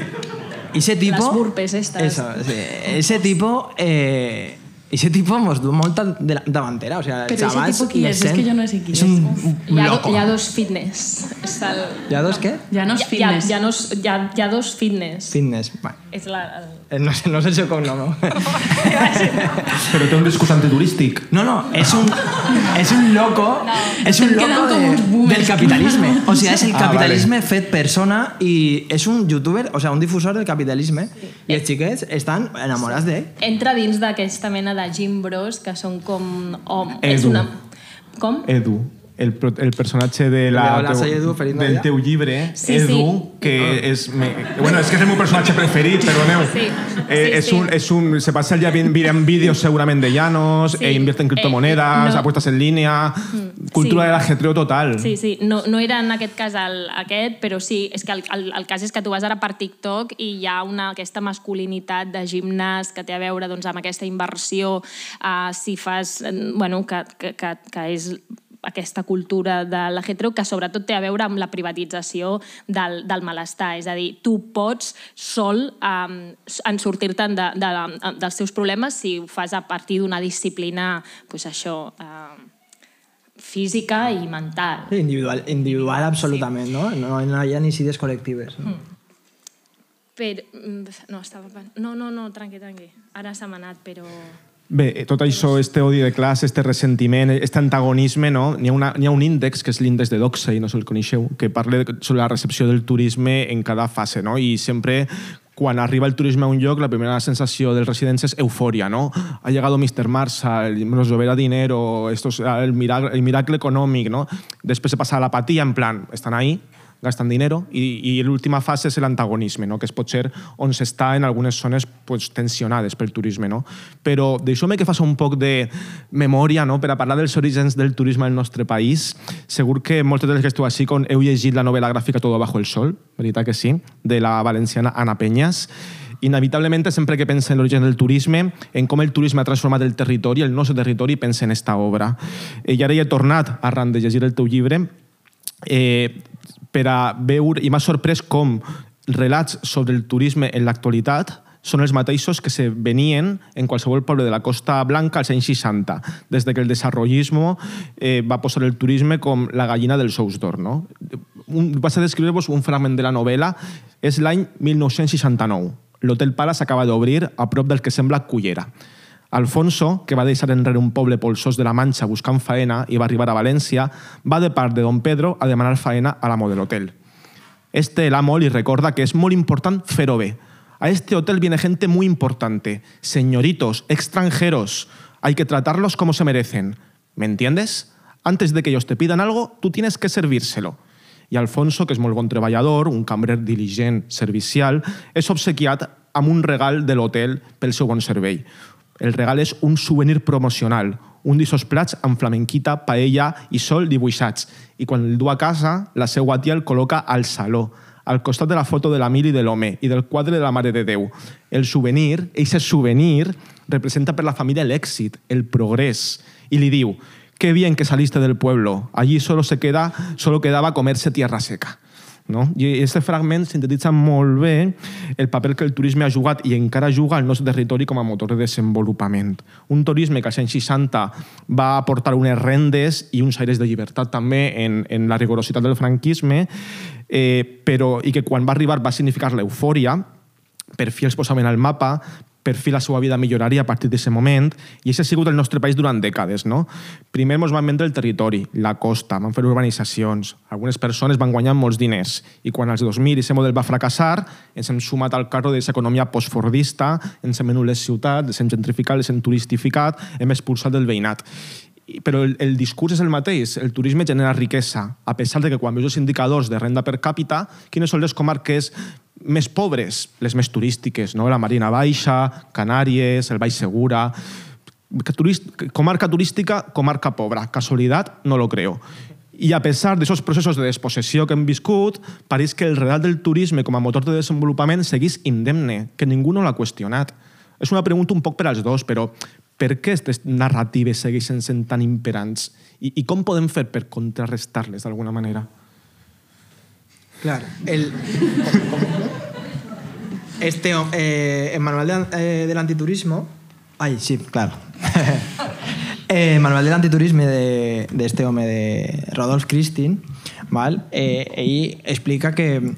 ese tipo... Les burpes estas. Eso, sí, ese tipo... Eh, ese tipo mos du molta de davantera, o sea, Però ese tipo qui és? És que jo no sé qui és. És un, un hi ha, loco. Hi ha dos fitness. És el... Hi ha dos què? Llanos Fitness. Hi ha, hi, ha, hi, ha, hi ha dos fitness. Fitness. Bueno. És la... El... No sé, no sé el seu cognom, no? Però té un discurs antiturístic. No, no, és un, és un loco, no. és un Estem loco quedant com de, uns boomers. del capitalisme. O sigui, és el Ah, capitalisme vale. fet persona i és un youtuber, o sigui, un difusor del capitalisme. Sí. I els xiquets estan enamorats Sí. d'ell. Entra dins d'aquesta mena de gym bros que són com... Oh, és Edu. una... Com? Edu, el, pro- el personatge de la, Hola, soy Edu, feliz del Navidad. teu llibre, Sí, Edu, sí. que és... Me, bueno, és que és el meu personatge preferit, perdoneu. Sí, Eh, sí, és sí. un, és un, se passa el día viendo vídeos segurament de Llanos, Sí. e invierte en criptomonedas, Eh, no. apuestas en línea, cultura sí. del ajetreo total. Sí, sí, no, no era en aquest cas el, aquest, però sí, és que el, el, el cas és que tu vas ara per TikTok i hi ha una, aquesta masculinitat de gimnàs que té a veure doncs, amb aquesta inversió, uh, si fas... eh, Bueno, que, que, que, que és aquesta cultura de l'ajetreu que sobretot té a veure amb la privatització del, del malestar. És a dir, tu pots sol um, en sortir-te'n de, de, de, dels teus problemes si ho fas a partir d'una disciplina, pues això... Uh, física i mental. Sí, individual, individual absolutament, sí. no? no? No hi ha ni idees col·lectives. No? Però... No, estava... No, no, no, tranqui, tranqui. Ara s'ha anat, però... Bé, tot això, este odi de classe, este ressentiment, este antagonisme, no? N'hi ha, una, n'hi ha un índex, que és l'índex de Doxey, no sé si el coneixeu, que parla sobre la recepció del turisme en cada fase, no? I sempre, quan arriba el turisme a un lloc, la primera sensació dels residents és eufòria, no? Ha llegado mister Marshall, nos lloverá dinero, esto es el miracle, el miracle econòmic, no? Després se passa a l'apatía, en plan, estan ahí, gastan dinero, i, i l'última fase és l'antagonisme, no? Que és potser on s'està en algunes zones pues, tensionades pel turisme. No? Però deixeu-me que faci un poc de memòria, no? Per a parlar dels orígens del turisme al nostre país. Segur que molts dels que esteu així heu llegit la novel·la gràfica Todo bajo el sol, veritat que sí, de la valenciana Ana Peñas. Inevitablement, sempre que pensa en l'origen del turisme, en com el turisme ha transformat el territori, el nostre territori, pensa en esta obra. I ara hi he tornat, arran de llegir el teu llibre, eh, per a veure, i m'ha sorprès com relats sobre el turisme en l'actualitat són els mateixos que se venien en qualsevol poble de la Costa Blanca als anys seixanta, des que el desarrollisme eh, va posar el turisme com la gallina dels ous d'or. No? Un, vas a descriure-vos un fragment de la novel·la, és l'any mil nou-cents seixanta-nou. L'Hotel Palace acaba d'obrir a prop del que sembla Cullera. Alfonso, que va deixar enrere un poble polsós de la Manxa buscant faena i va arribar a València, va de part de don Pedro a demanar faena a l'amo de l'hotel. Este, el amo, li recorda que és molt important fer-ho bé. A este hotel viene gente muy importante, señoritos, extranjeros. Hay que tratarlos como se merecen. ¿Me entiendes? Antes de que ellos te pidan algo, tú tienes que servírselo. I Alfonso, que és molt bon treballador, un cambrer diligent, servicial, és obsequiat amb un regal de l'hotel pel seu bon servei. El regal és un souvenir promocional, un d'essos plats amb flamenquita, paella i sol dibuixats. I quan el du a casa, la seva tia el col·loca al saló, al costat de la foto de la Mili de l'home i del quadre de la Mare de Déu. El souvenir, eixe souvenir, representa per la família l'èxit, el progrés. I li diu, qué bien que saliste del pueblo, allí solo, se queda, solo quedaba comerse tierra seca. No? I aquest fragment sintetitza molt bé el paper que el turisme ha jugat i encara juga al nostre territori com a motor de desenvolupament. Un turisme que als anys seixanta va aportar unes rendes i uns aires de llibertat també en, en la rigorositat del franquisme, eh, però, i que quan va arribar va significar l'eufòria, per fi els posaven al mapa, per fi la seva vida milloraria a partir d'aquest moment, i això ha sigut el nostre país durant dècades. No? Primer ens van vendre el territori, la costa, van fer urbanitzacions, algunes persones van guanyar molts diners, i quan als dos mil aquest model va fracassar, ens hem sumat al carro d'aquesta economia postfordista, ens hem venut les ciutats, les hem gentrificat, les hem turistificat, hem expulsat del veïnat. però el, el discurs és el mateix. El turisme genera riquesa, a pesar de que quan veus els indicadors de renda per càpita, quines són les comarques més pobres? Les més turístiques, no? La Marina Baixa, Canàries, el Baix Segura... Turist, comarca turística, comarca pobra. Casualitat, no lo creo. I a pesar d'aquests processos de despossessió que hem viscut, pareix que el relat del turisme com a motor de desenvolupament seguís indemne, que ningú no l'ha qüestionat. És una pregunta un poc per als dos, però per què aquestes narratives segueixen sent tan imperants? I, i com podem fer per contrarrestar-les d'alguna manera? Claro. El, este, eh, el manual de, eh, del antiturismo... Ay, sí, claro. eh, el manual del antiturisme de, de este home de Rodolphe Christin, ¿vale? eh, ell explica que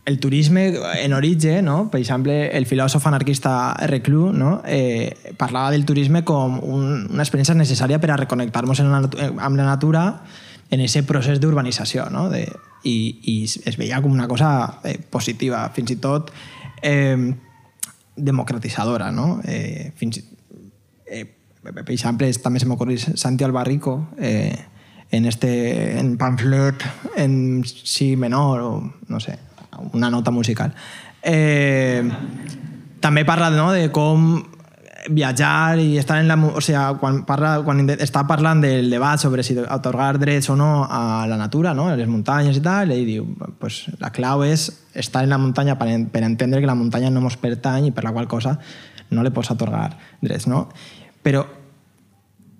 el turisme en origen, no? Per exemple, el filòsof anarquista Reclus, no? eh, parlava del turisme com un, una experiència necessària per a reconnectar-nos amb la natura en aquest procés d'urbanització, no? de, i, i es veia com una cosa eh, positiva, fins i tot eh, democratitzadora. No? Eh, fins, eh, per exemple, també se m'ocorreix Santi Albarrico, eh, en este en pamflet en si menor o no sé, una nota musical. Eh, també parla, no, de com viatjar i estar en la... O sea, quan, parla, quan està parlant del debat sobre si atorgar drets o no a la natura, no, a les muntanyes i tal, ell diu, pues, la clau és estar en la muntanya per, per entendre que la muntanya no mos pertany i per la qual cosa no li pots atorgar drets, no? Però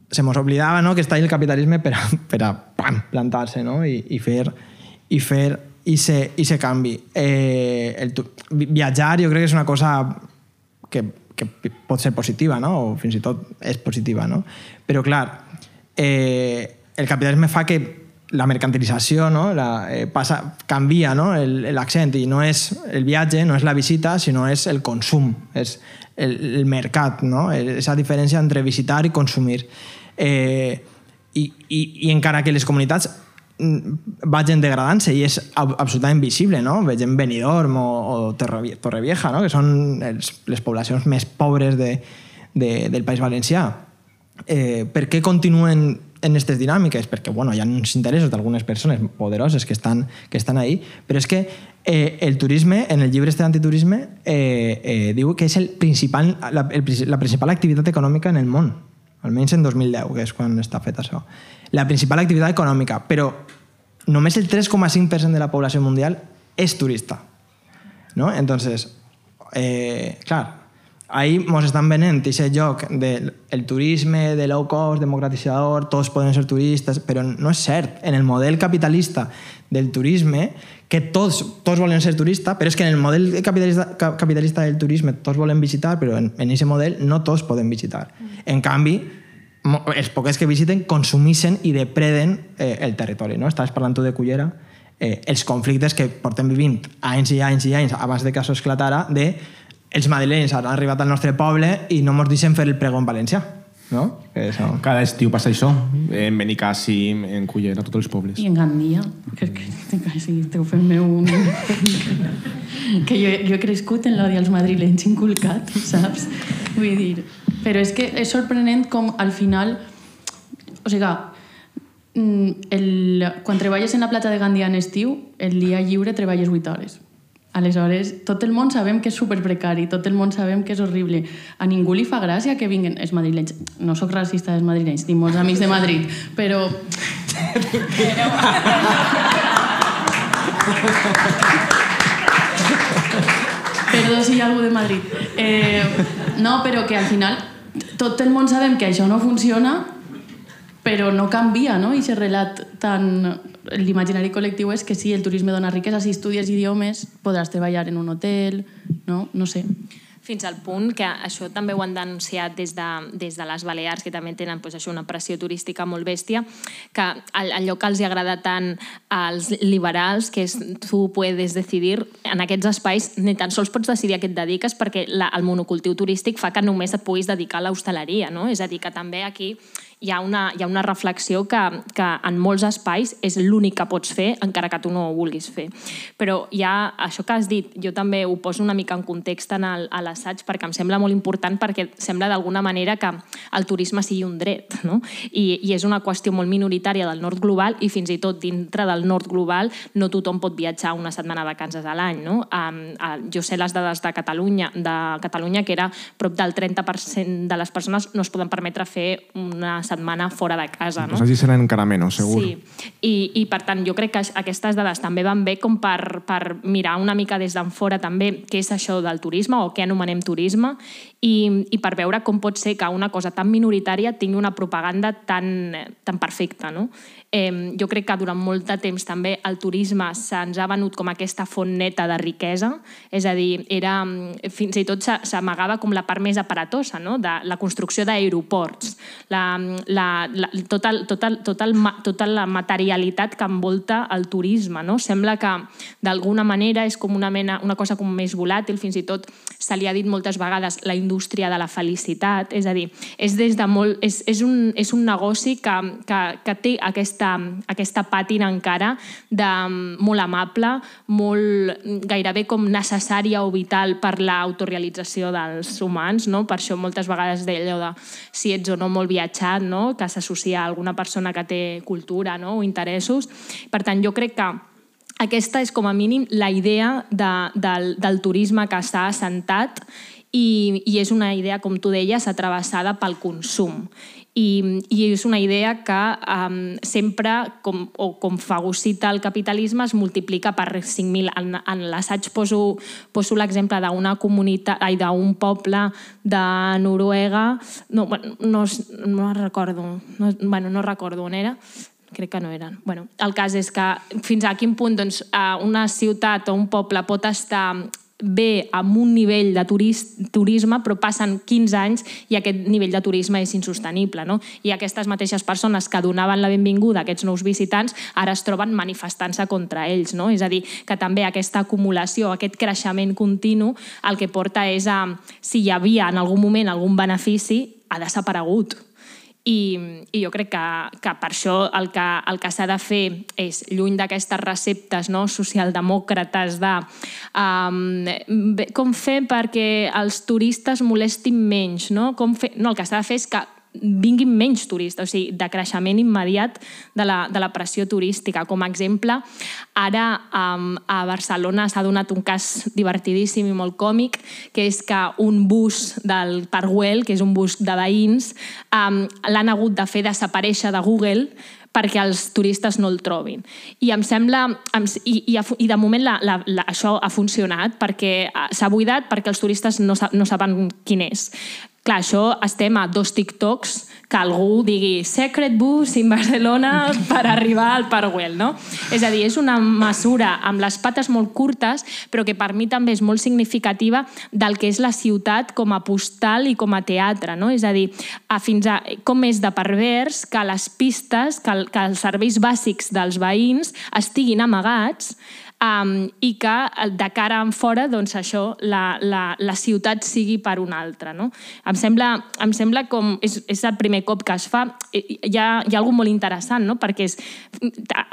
se mos oblidava, no, que està ahí el capitalisme per a, per a pam, plantar-se, no? I, i fer i fer i se, i se canvi. Eh, el, viatjar jo crec que és una cosa que, que pot ser positiva, no? O fins i tot és positiva, no? Però clar, eh, el capitalisme fa que la mercantilització, no? la, eh, passa, canvia, no? l'accent i no és el viatge, no és la visita, sinó és el consum, és el, el mercat, no? Esa diferència entre visitar i consumir. Eh, i, i, I encara que les comunitats vagin degradant-se i és absolutament visible, no? Vegem Benidorm o, o Torrevieja, no? Que són els, les poblacions més pobres de, de, del País Valencià. Eh, per què continuen en aquestes dinàmiques? Perquè bueno, hi ha uns interessos d'algunes persones poderoses que estan, que estan ahí, però és que eh, el turisme, en el llibre este d'antiturisme, eh, eh, diu que és el principal, la, el, la principal activitat econòmica en el món, almenys en dos mil deu, que és quan està fet això. La principal activitat econòmica, però només el tres coma cinc per cent de la població mundial és turista. ¿No? Entonces, eh, clar, ahí mos estan venent aquest lloc del el turisme, de low cost, democratitzador, tots poden ser turistes, però no és cert. En el model capitalista del turisme, que tots, tots volen ser turistes, però és que en el model capitalista, capitalista del turisme tots volen visitar, però en aquest model no tots poden visitar. En canvi, els poques que visiten consumeixen i depreden eh, el territori. No? Estaves parlant tu de Cullera, eh, els conflictes que portem vivint anys i anys i anys abans de que això esclatara, de els madrilenys han arribat al nostre poble i no ens deixen fer el pregó en valencià. No? Que això... Cada estiu passa això, en Benicàssim, en Cullera, tots els pobles. I en Gandia, que, que, que sí, esteu fent-me un... que jo, jo he crescut en l'odi als madrilenys inculcat, saps? Vull dir... Però és que és sorprenent com al final... O sigui, el, quan treballes en la platja de Gandia en estiu, el dia lliure treballes vuit hores. Aleshores, tot el món sabem que és superprecari, tot el món sabem que és horrible. A ningú li fa gràcia que vinguin els madrilenys. No sóc racista dels madrilenys, tinc molts amics de Madrid, però... Perdó si hi ha algú de Madrid. Eh, no, però que al final tot el món sabem que això no funciona, però no canvia, no? I aquest relat tan... L'imaginari col·lectiu és que sí, el turisme dona riquesa, si estudies idiomes podràs treballar en un hotel, no? No sé. Fins al punt que això també ho han denunciat des de, des de les Balears, que també tenen pues, això, una pressió turística molt bèstia, que allò que els agrada tant als liberals, que és tu puedes decidir, en aquests espais ni tan sols pots decidir a què et dediques perquè la, el monocultiu turístic fa que només et puguis dedicar a l'hostaleria, no? És a dir, que també aquí hi ha una, hi ha una reflexió que, que en molts espais és l'únic que pots fer, encara que tu no ho vulguis fer. Però hi ha això que has dit, jo també ho poso una mica en context en el, a l'assaig perquè em sembla molt important, perquè sembla d'alguna manera que el turisme sigui un dret, no? I, i és una qüestió molt minoritària del nord global i fins i tot dintre del nord global no tothom pot viatjar una setmana de vacances a l'any, no? Um, uh, jo sé les dades de Catalunya, de Catalunya que era prop del trenta per cent de les persones no es poden permetre fer una setmana fora de casa. No? Pues allí seran encara menys, segur. Sí, I, i per tant jo crec que aquestes dades també van bé com per, per mirar una mica des d'en fora també què és això del turisme o què anomenem turisme i, i per veure com pot ser que una cosa tan minoritària tingui una propaganda tan, tan perfecta. No? Eh, jo crec que durant molt de temps també el turisme se'ns ha venut com aquesta font neta de riquesa, és a dir, era, fins i tot s'amagava com la part més aparatosa, no? De la construcció d'aeroports, la, la, la, tot el, tot el, tot el, tota la materialitat que envolta el turisme. No? Sembla que d'alguna manera és com una, mena, una cosa com més volàtil, fins i tot se li ha dit moltes vegades la indústria de la felicitat, és a dir, és, des de molt, és, és, un, és un negoci que, que, que té aquesta, aquesta pàtina encara de molt amable, molt gairebé com necessària o vital per l'autorealització dels humans, no? Per això moltes vegades deia allò de si ets o no molt viatjat, no? Que s'associa a alguna persona que té cultura, no? O interessos. Per tant, jo crec que aquesta és com a mínim la idea de, del, del turisme que està assentat i, i és una idea, com tu deies, atravessada pel consum. I, i és una idea que um, sempre, com, o com fagocita el capitalisme, es multiplica per cinc mil. En, en l'assaig poso, poso l'exemple d'una comunitat, ai, d'un poble de Noruega, no, no, no recordo, no, bueno, no recordo on era, crec que no eren. Bueno, el cas és que fins a quin punt doncs, una ciutat o un poble pot estar bé amb un nivell de turist, turisme, però passen quinze anys i aquest nivell de turisme és insostenible. No? I aquestes mateixes persones que donaven la benvinguda a aquests nous visitants ara es troben manifestant-se contra ells. No? És a dir, que també aquesta acumulació, aquest creixement continu, el que porta és a, si hi havia en algun moment algun benefici, ha desaparegut. I, i jo crec que, que per això el que, el que s'ha de fer és, lluny d'aquestes receptes, no, socialdemòcrates de um, com fer perquè els turistes molestin menys, no? Com fer... no, el que s'ha de fer és que vinguin menys turistes, o sigui, de creixement immediat de la, de la pressió turística. Com a exemple, ara um, a Barcelona s'ha donat un cas divertidíssim i molt còmic, que és que un bus del Parc Güell, que és un bus de veïns, um, l'han hagut de fer desaparèixer de Google perquè els turistes no el trobin. I em sembla... I, i, i de moment la, la, la, això ha funcionat perquè s'ha buidat perquè els turistes no, no saben quin és. Clar, això estem a dos TikToks que algú digui Secret Bus in Barcelona per arribar al Parc Güell, no? És a dir, és una mesura amb les pates molt curtes, però que per mi també és molt significativa del que és la ciutat com a postal i com a teatre, no? És a dir, a fins a com és de pervers que les pistes, que, que els serveis bàsics dels veïns estiguin amagats Um, i que de cara en fora doncs això, la, la, la ciutat sigui per una altra. No? Em sembla, em sembla com... És, és el primer cop que es fa. Hi ha, hi ha alguna molt interessant, no? Perquè és,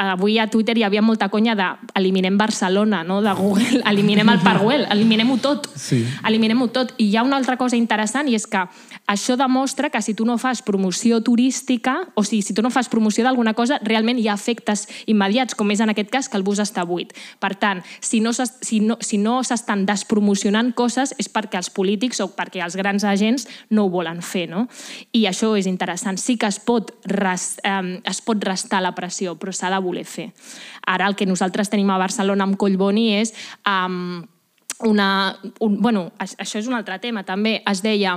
avui a Twitter hi havia molta conya de eliminem Barcelona, no? De Google, eliminem el Parc Güell, eliminem-ho tot. Sí. Eliminem-ho tot. I hi ha una altra cosa interessant i és que això demostra que si tu no fas promoció turística, o sigui, si tu no fas promoció d'alguna cosa, realment hi ha efectes immediats, com és en aquest cas que el bus està buit. Per tant, si no, si no, si no s'estan despromocionant coses és perquè els polítics o perquè els grans agents no ho volen fer. No? I això és interessant. Sí que es pot, res, eh, es pot restar la pressió, però s'ha de voler fer. Ara el que nosaltres tenim a Barcelona amb Collboni és... Eh, una, un, bueno, això és un altre tema. També es deia...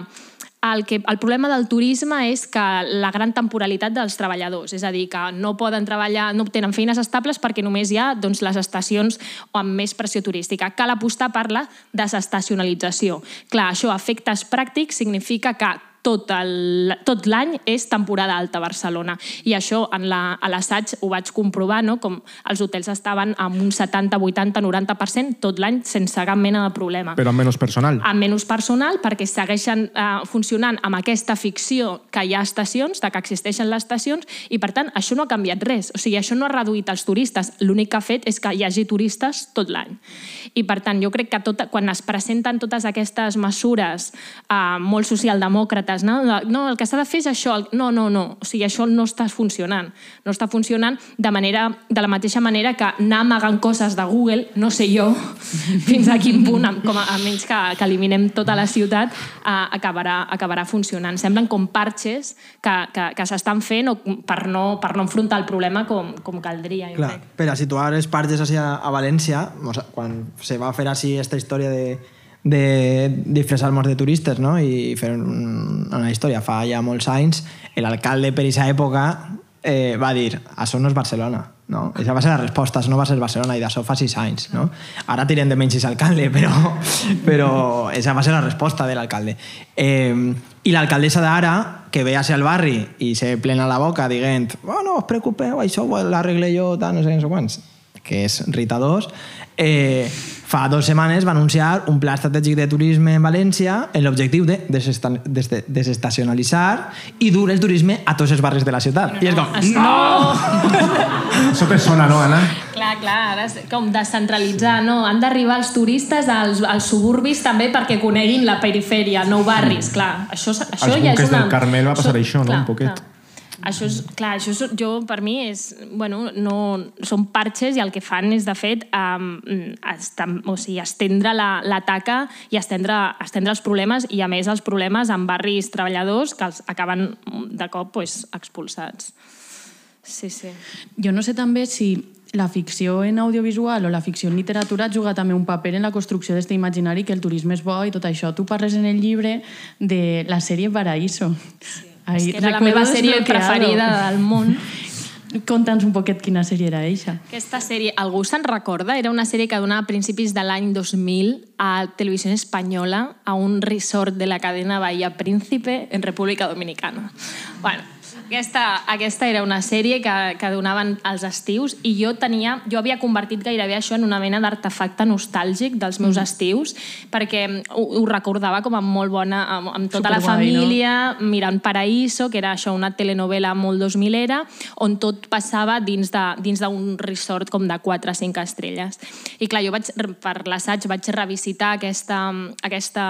El, que, el problema del turisme és que la gran temporalitat dels treballadors, és a dir, que no poden treballar, no tenen feines estables perquè només hi ha doncs, les estacions amb més pressió turística. Cal apostar per la desestacionalització. Clar, això a efectes pràctics significa que tot el, tot l'any és temporada alta a Barcelona. I això en la, a l'assaig ho vaig comprovar, no? Com els hotels estaven amb un setanta, vuitanta, noranta per cent tot l'any sense cap mena de problema. Però amb menys personal. Amb menys personal, perquè segueixen eh, funcionant amb aquesta ficció que hi ha estacions, de que existeixen les estacions, i per tant això no ha canviat res. O sigui, això no ha reduït els turistes. L'únic que ha fet és que hi hagi turistes tot l'any. I per tant, jo crec que tot, quan es presenten totes aquestes mesures eh, molt socialdemòcrates, no? no, el que s'ha de fer és això. No, no, no. O sigui, això no està funcionant. No està funcionant de, manera, de la mateixa manera que anar amagant coses de Google, no sé jo fins a quin punt, com a, a menys que, que eliminem tota la ciutat, eh, acabarà, acabarà funcionant. Semblen com parxes que, que, que s'estan fent per no, per no enfrontar el problema com, com caldria. Clar, per a situar els parxes a, a València, o sea, quan se va fer així aquesta història de de disfressar-nos de turistes, no? I fer una història. Fa ja molts anys, l'alcalde per aquesta època eh, va dir, això no és Barcelona, no? Aquesta va ser la resposta, això no va ser Barcelona, i d'això fa sis anys, no? Ara tirem de menys aquest alcalde, però, però aquesta va ser la resposta de l'alcalde. Eh, I l'alcaldessa d'ara, que ve a ser al barri i se plena la boca dient, oh, no us preocupeu, això ho l'arregle jo, tant, no sé, no sé quants, que és Rita dos, eh, fa dues setmanes va anunciar un pla estratègic de turisme en València amb l'objectiu de desestacionalitzar i dur el turisme a tots els barris de la ciutat. No, I és com, no! no! Això te sona, no, Anna? Clar, clar, ara és com descentralitzar, no? Han d'arribar els turistes als, als suburbis també perquè coneguin la perifèria, nou barris, clar. Això, això als ja és buques una... del Carmel va passar això, això, no? Clar, Un poquet. Clar. Això és, clar, això és, jo, per mi, és, bueno, no, són parxes i el que fan és, de fet, um, estam, o sigui, estendre la, la taca i estendre, estendre els problemes, i a més els problemes en barris treballadors que els acaben de cop pues, expulsats. Sí, sí. Jo no sé també si la ficció en audiovisual o la ficció en literatura juga també un paper en la construcció d'aquest imaginari que el turisme és bo i tot això. Tu parles en el llibre de la sèrie Paraíso. Sí. Ahí, és que era la meva sèrie preferida del món. Conta'ns un poquet quina sèrie era eixa. Aquesta sèrie, algú se'n recorda? Era una sèrie que donava a principis de l'any dos mil a Televisió Espanyola a un resort de la cadena Bahía Príncipe en República Dominicana. Bueno, Aquesta, aquesta era una sèrie que, que donaven als estius i jo tenia, jo havia convertit gairebé això en una mena d'artefacte nostàlgic dels meus estius, perquè ho, ho recordava com a molt bona, amb, amb tota Superguai, la família, no? Mirant Paraíso, que era això, una telenovela molt dos milera, on tot passava dins de, dins d'un resort com de quatre o cinc estrelles. I clar, jo vaig, per l'assaig vaig revisitar aquesta, aquesta,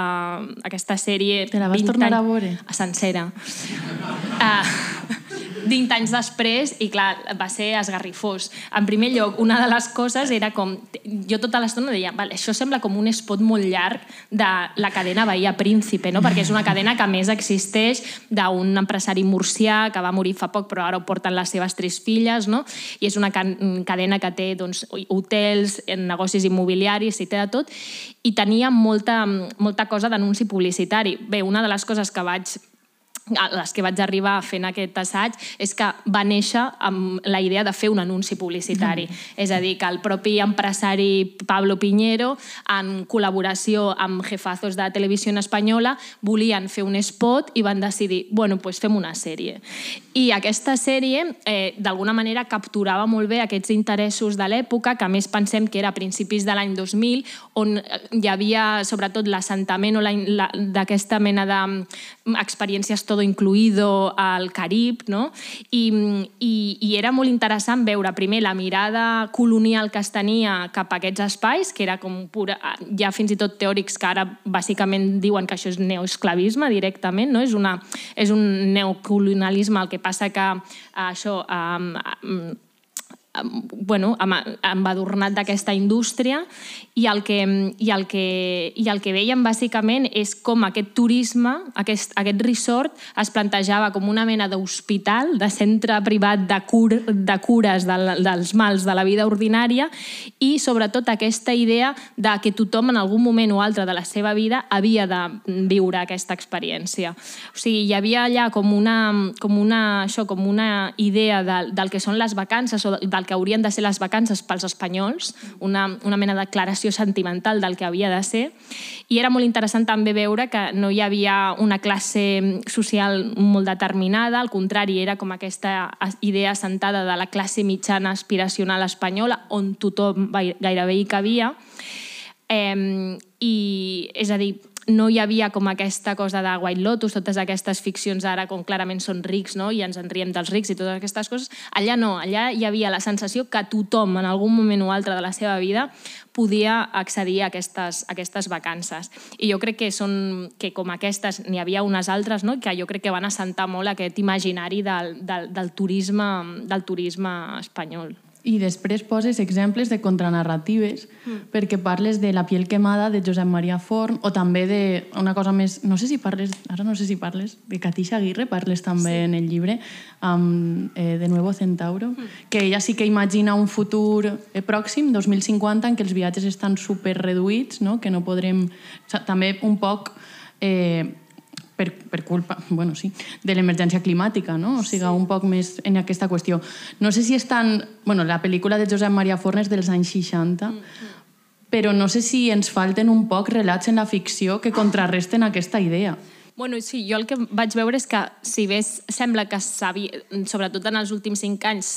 aquesta sèrie... Te la vas tornar a veure? A sencera. Uh, vint anys després, i clar, va ser esgarrifós. En primer lloc, una de les coses era com... Jo tota l'estona deia, vale, això sembla com un spot molt llarg de la cadena Bahía Príncipe, no? Perquè és una cadena que més existeix d'un empresari murcià que va morir fa poc, però ara ho porten les seves tres filles, no? I és una cadena que té doncs, hotels, negocis immobiliaris, i té de tot, i tenia molta, molta cosa d'anunci publicitari. Bé, una de les coses que vaig a les que vaig arribar fent aquest assaig és que va néixer amb la idea de fer un anunci publicitari. Mm. És a dir, que el propi empresari Pablo Piñero, en col·laboració amb jefazos de Televisió Espanyola, volien fer un spot i van decidir, bueno, doncs fem una sèrie. I aquesta sèrie, eh, d'alguna manera, capturava molt bé aquests interessos de l'època, que a més pensem que era a principis de l'any dos mil, on hi havia, sobretot, l'assentament o la, la, d'aquesta mena d'experiències tot incluido al Carib, no? I, i, i era molt interessant veure primer la mirada colonial que es tenia cap a aquests espais, que era com pura... Hi ha fins i tot teòrics que ara bàsicament diuen que això és neoesclavisme directament, no? És, una, és un neocolonialisme, el que passa que això... Um, um, bueno, embadurnat d'aquesta indústria, i el que, i el que, i el que veiem bàsicament és com aquest turisme, aquest, aquest resort, es plantejava com una mena d'hospital, de centre privat de, cur, de cures de, dels mals de la vida ordinària, i sobretot aquesta idea de que tothom en algun moment o altre de la seva vida havia de viure aquesta experiència. O sigui, hi havia allà com una, com una, això, com una idea de, del que són les vacances o del del que haurien de ser les vacances pels espanyols, una, una mena de declaració sentimental del que havia de ser, i era molt interessant també veure que no hi havia una classe social molt determinada, al contrari, era com aquesta idea assentada de la classe mitjana aspiracional espanyola, on tothom gairebé hi cabia, eh, i és a dir, no hi havia com aquesta cosa de White Lotus, totes aquestes ficcions ara com clarament són rics, no? I ens en riem dels rics i totes aquestes coses. Allà no, allà hi havia la sensació que tothom en algun moment o altre de la seva vida podia accedir a aquestes, a aquestes vacances. I jo crec que, són, que com aquestes n'hi havia unes altres, no? Que jo crec que van assentar molt aquest imaginari del, del, del, turisme, del turisme espanyol. I després poses exemples de contranarratives mm. perquè parles de La piel quemada de Josep Maria Forn o també d'una cosa més, no sé si parles, ara no sé si parles, de Katisha Aguirre, parles també sí. en el llibre, um, eh, de Nuevo Centauro, mm. que ella sí que imagina un futur eh, pròxim, dos mil cinquanta, en què els viatges estan super reduïts, no? Que no podrem... O sigui, també un poc... Eh, Per, per culpa, bueno, sí, de l'emergència climàtica, no? O sigui, sí. un poc més en aquesta qüestió. No sé si estan... Bueno, la pel·lícula de Josep Maria Forn és dels anys seixanta, mm-hmm. però no sé si ens falten un poc relats en la ficció que contrarresten aquesta idea. Bueno, sí, jo el que vaig veure és que, si bé sembla que s'havia, sobretot en els últims cinc anys,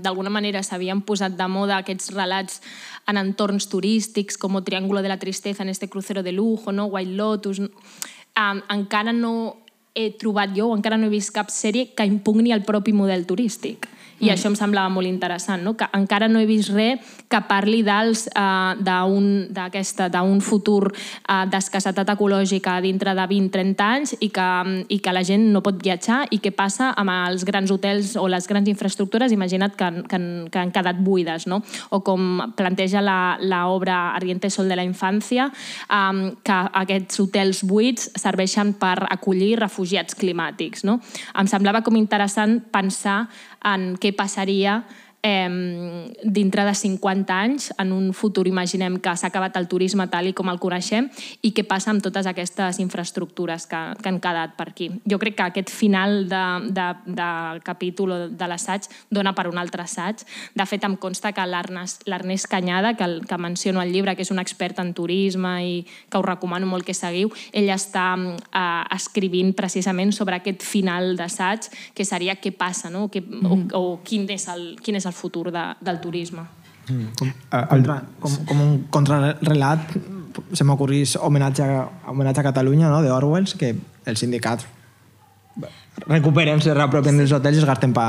d'alguna manera s'havien posat de moda aquests relats en entorns turístics, com Triángulo de la Tristeza en este crucero de lujo, no? White Lotus... Um, encara no he trobat jo, o encara no he vist cap sèrie que impugni el propi model turístic. I mm. això em semblava molt interessant, no? Que encara no he vist res que parli dels, uh, d'un futur uh, d'escassetat ecològica dintre de vint a trenta anys i que, i que la gent no pot viatjar i què passa amb els grans hotels o les grans infraestructures, imagina't que, que, que han quedat buides, no? O com planteja l'obra Ardiente Sol de la Infància, um, que aquests hotels buits serveixen per acollir refugiats climàtics, no? Em semblava com interessant pensar en què passaria eh, dintre de cinquanta anys, en un futur, imaginem que s'ha acabat el turisme tal i com el coneixem, i què passa amb totes aquestes infraestructures que, que han quedat per aquí. Jo crec que aquest final de, de, de capítol de l'assaig dona per un altre assaig. De fet, em consta que l'Ernest Canyada, que, el, que menciono al llibre, que és un expert en turisme i que us recomano molt que seguiu, ell està eh, escrivint precisament sobre aquest final d'assaig, que seria què passa, no? Que, o, o quin és el, quin és el futur de, del turisme. Mm. Com, contra, com, com un contrarrelat se m'ocorrís homenatge, homenatge a Catalunya, no? De Orwell, que el sindicat recuperem, se reapropien dels hotels i es gasten per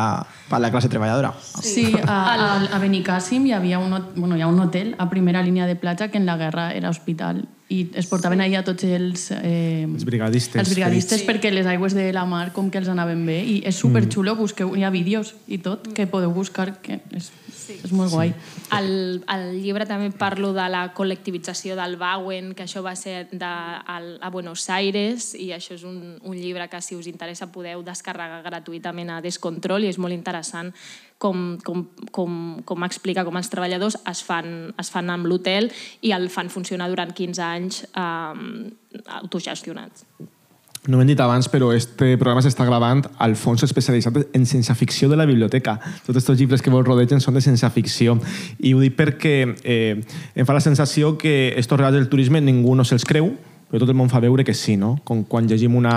pa la classe treballadora. Sí, a, a, a Benicàssim hi havia un, bueno, hi ha un hotel a primera línia de platja que en la guerra era hospital i es portaven allà tots els... Eh, els brigadistes. Els brigadistes, sí. Perquè les aigües de la mar com que els anaven bé i és superxulo, busqueu, hi ha vídeos i tot que podeu buscar, que és, sí. és molt guai. Sí. Al, al llibre també parlo de la col·lectivització del Bauen, que això va ser de, a, a Buenos Aires, i això és un, un llibre que, si us interessa, podeu descarregar gratuïtament a Descontrol, i és molt interessant com, com, com, com explica com els treballadors es fan, es fan amb l'hotel i el fan funcionar durant quinze anys eh, autogestionats. No m'he dit abans, però este programa s'està gravant al fons especialitzat en ciència ficció de la biblioteca. Tots aquests llibres que vos rodegen són de ciència ficció. I ho dic perquè eh, em fa la sensació que estos relats del turisme ningú no se'ls creu, però tot el món fa veure que sí, no? Com quan llegim una,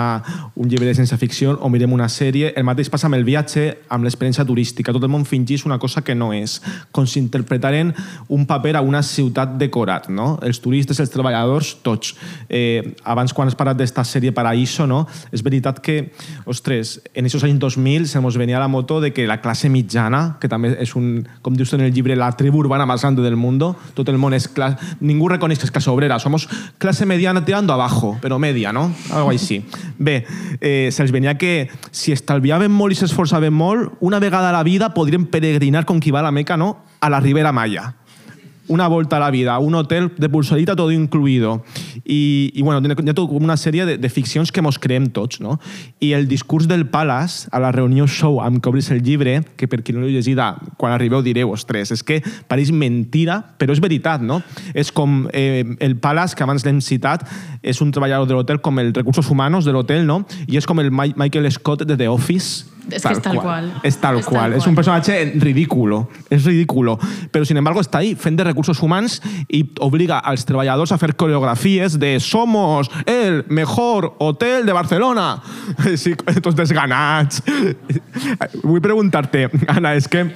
un llibre de ciència ficció o mirem una sèrie, el mateix passa amb el viatge, amb l'experiència turística. Tot el món fingís una cosa que no és, com si interpretaren un paper a una ciutat decorat, no? Els turistes, els treballadors, tots. Eh, abans, quan has parlat d'esta sèrie Paraíso, no? És veritat que, ostres, en aquests anys dos mil se nos venia la moto de que la classe mitjana, que també és un, com dius en el llibre, la tribu urbana més grande del mundo, tot el món és classe... Ningú reconeix que és classe obrera, somos classe mediana tirando abajo, però media, no? Algo així. Bé, eh, se'ls venia que si estalviaven molt i s'esforçaven molt, una vegada a la vida podrien peregrinar com qui va a la Meca, no? A la Ribera Maya. Una volta a la vida, un hotel de pulserita todo incluido. I, i bueno, hi ha tot una sèrie de, de ficcions que mos creem tots, no? I el discurs del Palace a la reunió show amb què obris el llibre, que per qui no l'heu llegit, quan arribeu direu, ostres, és que pareix mentira, però és veritat, no? És com eh, el Palace, que abans l'hem citat, és un treballador de l'hotel com els recursos humans de l'hotel, no? I és com el Michael Scott de The Office, Es que es tal cual. Es tal cual. Es un personaje ridículo. Es ridículo. Pero, sin embargo, está ahí fent de recursos humans i obliga als treballadors a fer coreografies de «Somos el mejor hotel de Barcelona». Sí, tots desganats. Vull preguntar-te, Anna, és que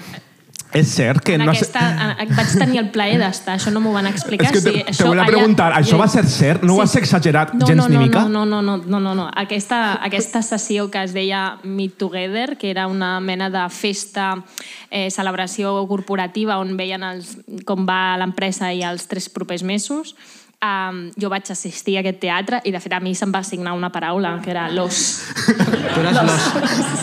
és cert que... En no aquesta, en, vaig tenir el plaer d'estar, això no m'ho van explicar. És que te, sí, te això, volia allà, preguntar, això sí. va ser cert? No sí. ho has exagerat no, gens no, no, ni mica? No, no, no, no, no, no. Aquesta, aquesta sessió que es deia Meet Together, que era una mena de festa, eh, celebració corporativa on veien els, com va l'empresa i els tres propers mesos, Um, jo vaig assistir a aquest teatre i de fet a mi se'm va assignar una paraula que era los. Tu eres los.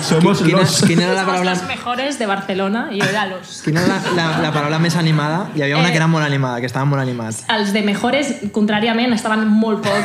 Somos quina, los. Quina era la paraula? Somos los mejores de Barcelona i jo era los. Quina era la, la, la paraula més animada? Hi havia una Eh, que era molt animada, que estaven molt animats. Els de mejores, contràriament, estaven molt poc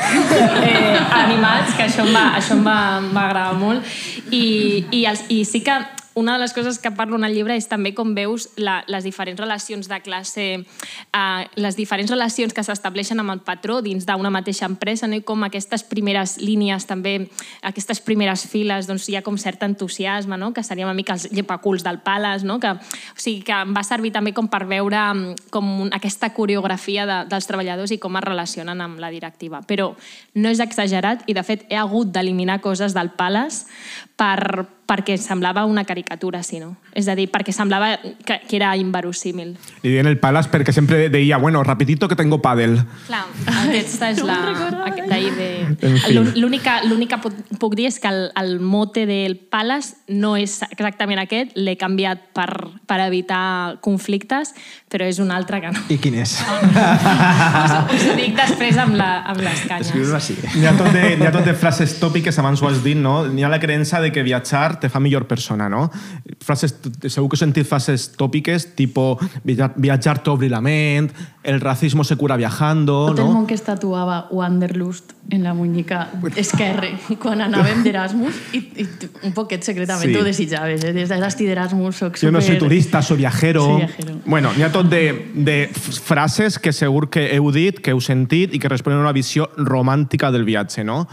eh, animats, que això em va, això em va, em va agradar molt. I, i, els, I sí que una de les coses que parlo en el llibre és també com veus la, les diferents relacions de classe, eh, les diferents relacions que s'estableixen amb el patró dins d'una mateixa empresa, no? I com aquestes primeres línies, també aquestes primeres files, doncs hi ha com cert entusiasme, no? Que seria una mica els llepaculs del Palace, no? Que, o sigui, que em va servir també com per veure com un, aquesta coreografia de, dels treballadors i com es relacionen amb la directiva. Però no és exagerat i, de fet, he hagut d'eliminar coses del Palace per, perquè semblava una caricatura, sí, no? És a dir, perquè semblava que, que era inverosímil. Li deien el Palace perquè sempre deia, bueno, rapidito que tengo pàdel. Clar, aquesta és la... D'ahir de... En fi. L'única, l'única puc dir és que el, el mote del Palace no és exactament aquest, l'he canviat per, per evitar conflictes, però és un altre que no. I quin és? Us, us ho dic després amb, la, amb les canyes. Escriu-ho així. N'hi ha, tot de, n'hi ha tot de frases tòpiques, abans ho has dit, no? N'hi ha la creença de que viatjar te fa millor persona, no? Frases, segur que he sentit frases tòpiques, tipo viatjar t'obri la ment, el racismo se cura viajando, Tot no? el món que es tatuava Wanderlust en la muñeca esquerre quan anàvem d'Erasmus i, i un poquet secretament Sí. ho desitjaves, eh? Des d'estic d'Erasmus soc Yo super... no soy turista, soy viajero. Soy viajero. Bueno, n'hi ha tot de, de frases que segur que heu dit, que heu sentit i que responen a una visió romàntica del viatge, no?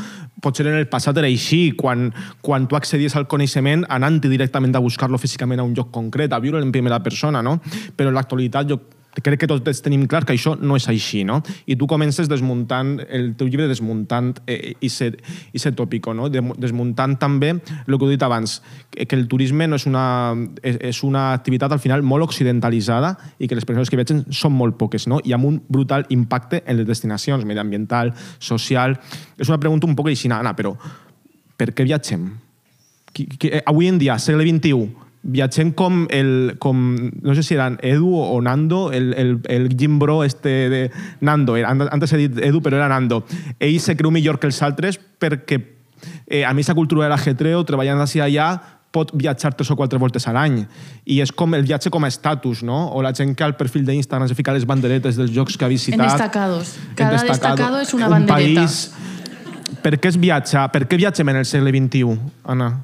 Potser en el passat era així, quan, quan tu accedies al coneixement anant directament a buscar-lo físicament a un lloc concret, a viure en primera persona, no? Però en l'actualitat jo crec que tots tenim clar que això no és així, no? I tu comences desmuntant, el teu llibre desmuntant eh, i ser, i ser tòpico, no? Desmuntant també el que he dit abans, que el turisme no és una, és, és una activitat al final molt occidentalitzada i que les persones que viatgen són molt poques, no? I amb un brutal impacte en les destinacions, mediambiental, social... És una pregunta un poc així, Anna, però per què viatgem? Avui en dia, segle vint-i-u, viatgem com el, com, no sé si eren Edu o Nando, el, el, el Jim Bro este de Nando, antes he dit Edu però era Nando. Ell se creu millor que els altres perquè eh, a més la cultura de l'ajetreo, treballant d'ací allà, pot viatjar tres o quatre voltes a l'any. I és com el viatge com a estatus, no? O la gent que al perfil d'Instagram se fica les banderetes dels llocs que ha visitat. En destacados. Cada en destacado, destacado és una un bandereta. País. Per què es viatja? Per què viatgem en el segle vint-i-u, Anna?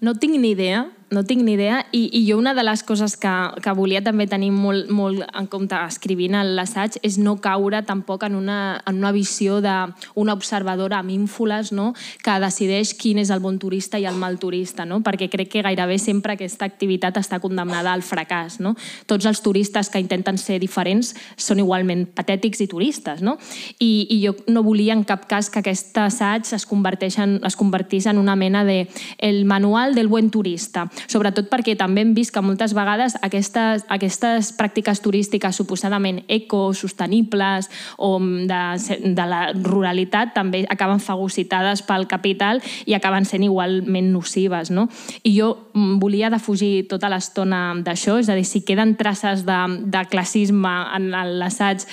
No tinc ni idea, no tinc ni idea, i, i jo una de les coses que, que volia també tenir molt, molt en compte escrivint l'assaig és no caure tampoc en una, en una visió d'una observadora amb ínfoles, no? Que decideix quin és el bon turista i el mal turista, no? Perquè crec que gairebé sempre aquesta activitat està condemnada al fracàs, no? Tots els turistes que intenten ser diferents són igualment patètics i turistes, no? I, i jo no volia en cap cas que aquest assaig es, converteix en, es convertís en una mena de el manual del buen turista, sobretot perquè també hem vist que moltes vegades aquestes, aquestes pràctiques turístiques suposadament ecosostenibles o de, de la ruralitat també acaben fagocitades pel capital i acaben sent igualment nocives, no? I jo volia defugir tota l'estona d'això, és a dir, si queden traces de, de classisme en l'assaig,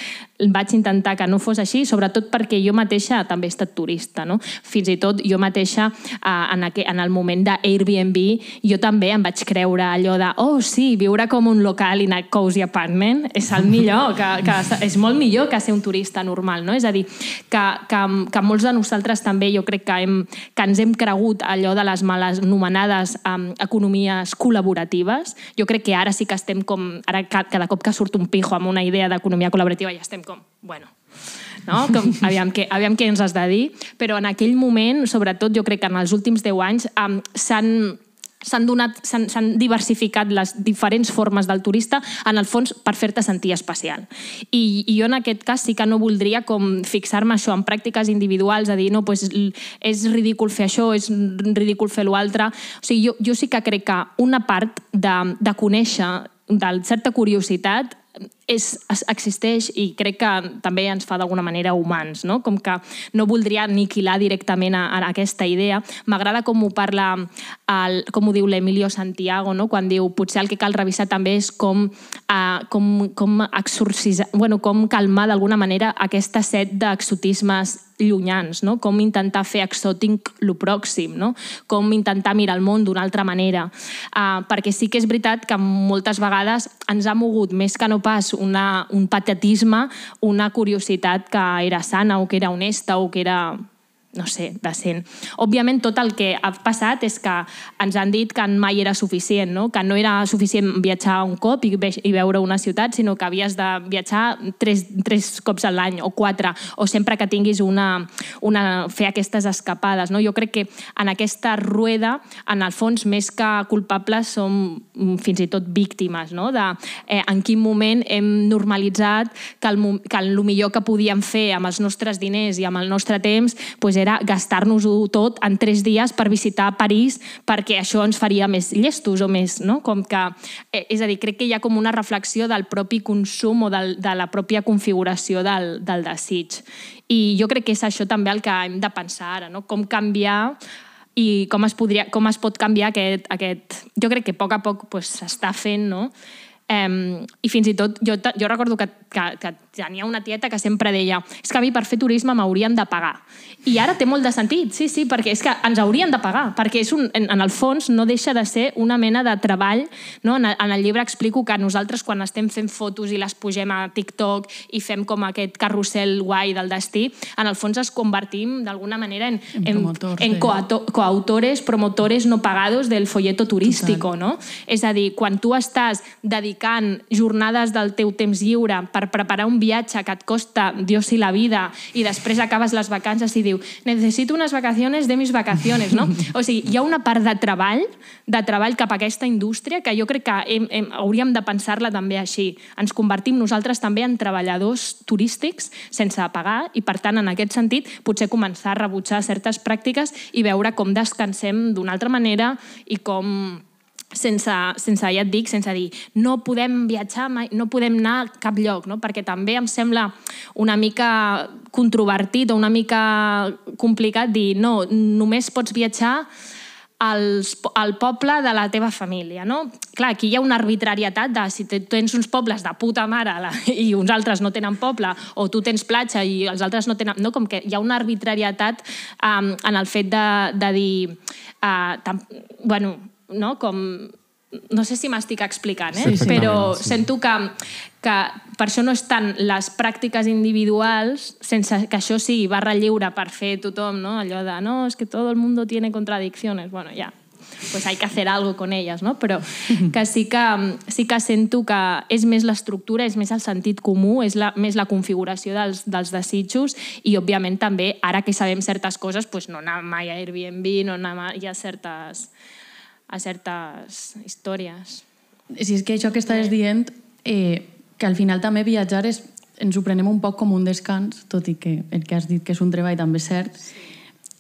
vaig intentar que no fos així, sobretot perquè jo mateixa també he estat turista, no? Fins i tot jo mateixa en, aqu en el moment d'Airbnb jo també em vaig creure allò de oh sí, viure com un local in a cozy apartment és el millor, que, que és molt millor que ser un turista normal, no? És a dir, que, que, que molts de nosaltres també jo crec que, hem, que ens hem cregut allò de les males anomenades um, economies col·laboratives. Jo crec que ara sí que estem com, ara cada cop que surt un pijo amb una idea d'economia col·laborativa ja estem com, bueno, no? Com, aviam, què, aviam què ens has de dir, però en aquell moment, sobretot jo crec que en els últims deu anys um, s'han s'han donat, s'han, s'han diversificat les diferents formes del turista, en el fons, per fer-te sentir especial. I, I jo en aquest cas sí que no voldria com fixar-me això en pràctiques individuals, a dir, no, pues, és ridícul fer això, és ridícul fer l'altre. O sigui, jo, jo sí que crec que una part de, de conèixer, de certa curiositat, és, existeix i crec que també ens fa d'alguna manera humans, no? Com que no voldria aniquilar directament a, a aquesta idea. M'agrada com ho parla, el, com ho diu l'Emilio Santiago, no? Quan diu potser el que cal revisar també és com, uh, com, com exorcisar, bueno, com calmar d'alguna manera aquesta set d'exotismes llunyans, no? Com intentar fer exòtic lo pròxim, no? Com intentar mirar el món d'una altra manera. Uh, perquè sí que és veritat que moltes vegades ens ha mogut més que no pas una, un patetisme, una curiositat que era sana o que era honesta o que era, no sé, decent. Òbviament, tot el que ha passat és que ens han dit que mai era suficient, no? Que no era suficient viatjar un cop i, ve i veure una ciutat, sinó que havies de viatjar tres, tres cops a l'any o quatre, o sempre que tinguis una, una, fer aquestes escapades, no? Jo crec que en aquesta rueda, en el fons, més que culpables, som fins i tot víctimes, no? De eh, en quin moment hem normalitzat que el, que el millor que podíem fer amb els nostres diners i amb el nostre temps pues, era gastar-nos-ho tot en tres dies per visitar París perquè això ens faria més llestos o més, no? Com que, és a dir, crec que hi ha com una reflexió del propi consum o del, de la pròpia configuració del, del desig. I jo crec que és això també el que hem de pensar ara, no? Com canviar i com es, podria, com es pot canviar aquest, aquest... Jo crec que a poc a poc s'està pues, fent, no? Um, i fins i tot jo, jo recordo que, que, que tenia una tieta que sempre deia és que a mi per fer turisme m'haurien de pagar i ara té molt de sentit, sí, sí, perquè és que ens haurien de pagar, perquè és un, en, en el fons no deixa de ser una mena de treball, no? En, en el llibre explico que nosaltres quan estem fent fotos i les pugem a TikTok i fem com aquest carrusel guai del destí, en el fons es convertim d'alguna manera en, en, en, en coauto, coautores, promotores no pagados del folleto turístico, no? És a dir, quan tu estàs dedicant jornades del teu temps lliure per preparar un viatge que et costa Dios i la vida i després acabes les vacances i diu necessito unes vacaciones de mis vacaciones, no? O sigui, hi ha una part de treball, de treball cap a aquesta indústria que jo crec que hem, hem, hauríem de pensar-la també així. Ens convertim nosaltres també en treballadors turístics sense pagar i, per tant, en aquest sentit, potser començar a rebutjar certes pràctiques i veure com descansem d'una altra manera i com... Sense, sense, ja et dic, sense dir no podem viatjar mai, no podem anar a cap lloc, no? Perquè també em sembla una mica controvertit o una mica complicat dir no, només pots viatjar als, al poble de la teva família, no? Clar, aquí hi ha una arbitrarietat de si tens uns pobles de puta mare la, i uns altres no tenen poble, o tu tens platja i els altres no tenen... No? Com que hi ha una arbitrarietat um, en el fet de, de dir... Uh, tam, bueno, no? Com, no sé si m'estic explicant, eh? Sí, però sí. Sento que, que per això no estan les pràctiques individuals sense que això sigui barra lliure per fer tothom, no? Allò de, no, és que tot el mundo tiene contradicciones. Bueno, ja, pues hay que hacer algo con ellas, no? Però que sí que, sí que sento que és més l'estructura, és més el sentit comú, és la, més la configuració dels, dels desitjos i, òbviament, també, ara que sabem certes coses, pues no anar mai a Airbnb, no anar mai a certes... a certes històries. Si és que això que estàs dient, eh, que al final també viatjar és, ens ho prenem un poc com un descans, tot i que el que has dit que és un treball també és cert.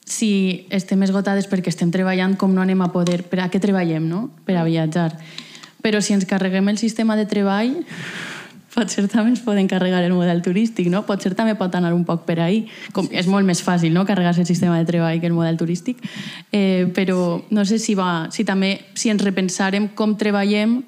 Si estem esgotades perquè estem treballant, com no anem a poder... Per a què treballem, no? Per a viatjar. Però si ens carreguem el sistema de treball... Potser també es pot encarregar el model turístic, no? Potser també pot anar un poc per ahí. Com, és molt més fàcil, no?, carregar-se el sistema de treball que el model turístic. Eh, però no sé si va... Si també, si ens repensarem com treballem,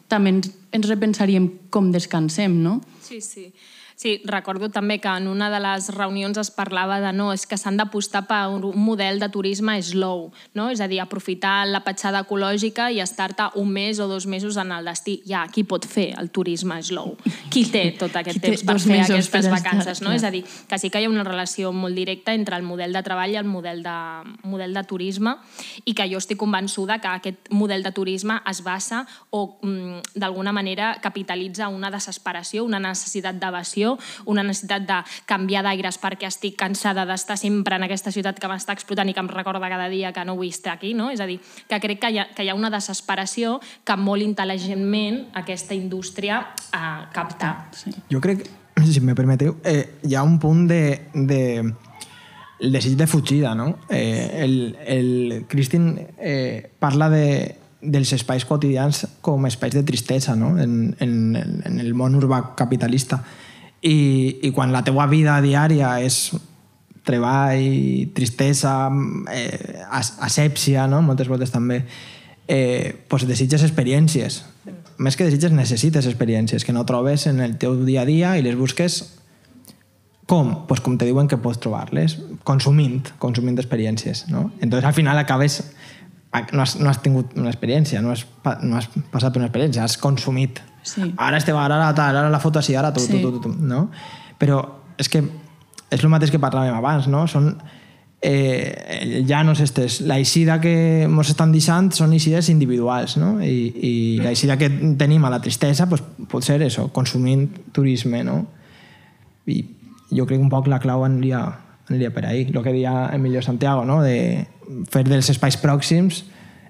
també ens, ens repensaríem com descansem, no? Sí, sí. Sí, recordo també que en una de les reunions es parlava de no, és que s'han d'apostar per un model de turisme slow, no? És a dir, aprofitar la petjada ecològica i estar-te un mes o dos mesos en el destí. Ja, qui pot fer el turisme slow? Qui té tot aquest temps per fer aquestes vacances, no? És a dir, que sí que hi ha una relació molt directa entre el model de treball i el model de, model de turisme i que jo estic convençuda que aquest model de turisme es basa o d'alguna manera capitalitza una desesperació, una necessitat d'evasió desesperació, una necessitat de canviar d'aires perquè estic cansada d'estar sempre en aquesta ciutat que m'està explotant i que em recorda cada dia que no vull estar aquí, no? És a dir, que crec que hi ha, que hi ha una desesperació que molt intel·ligentment aquesta indústria eh, capta. Sí. Jo crec, si me permeteu, eh, hi ha un punt de, de el desig de fugida, no? Eh, el, el Christine eh, parla de, dels espais quotidians com espais de tristesa, no? En, en, en el món urbà capitalista. I, i quan la teua vida diària és treball, tristesa, eh, asèpsia, no? Moltes voltes també, eh, pues desitges experiències. Més que desitges, necessites experiències que no trobes en el teu dia a dia i les busques com? Pues com te diuen que pots trobar-les, consumint, consumint experiències, no? Entonces al final acabes, no has, no has tingut una experiència, no has, no has passat per una experiència, has consumit. Sí. Ara este bar, ara tal, ara la foto així, ara tu, sí. tu, tu, tu, no? Però és que és el mateix que parlàvem abans, no? Són eh, llanos estes. La eixida que ens estan deixant són eixides individuals, no? I, i la eixida que tenim a la tristesa pues, pot ser això, consumint turisme, no? I jo crec que un poc la clau aniria, aniria per ahí. El que deia Emilio Santiago, no? De fer dels espais pròxims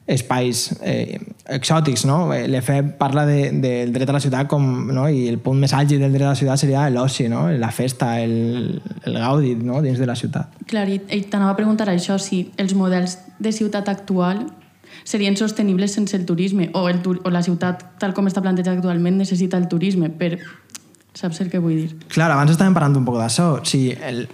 espais eh, exòtics, no? L'E F E parla de, del dret a la ciutat com, no? I el punt més àlgid del dret a la ciutat seria l'oci, no? La festa, el, el gaudi, no? Dins de la ciutat. Clar, i t'anava a preguntar això, si els models de ciutat actual serien sostenibles sense el turisme, o, el, o la ciutat, tal com està plantejada actualment, necessita el turisme, per... Saps el que vull dir? Clar, abans estàvem parlant un poc d'això. Si el,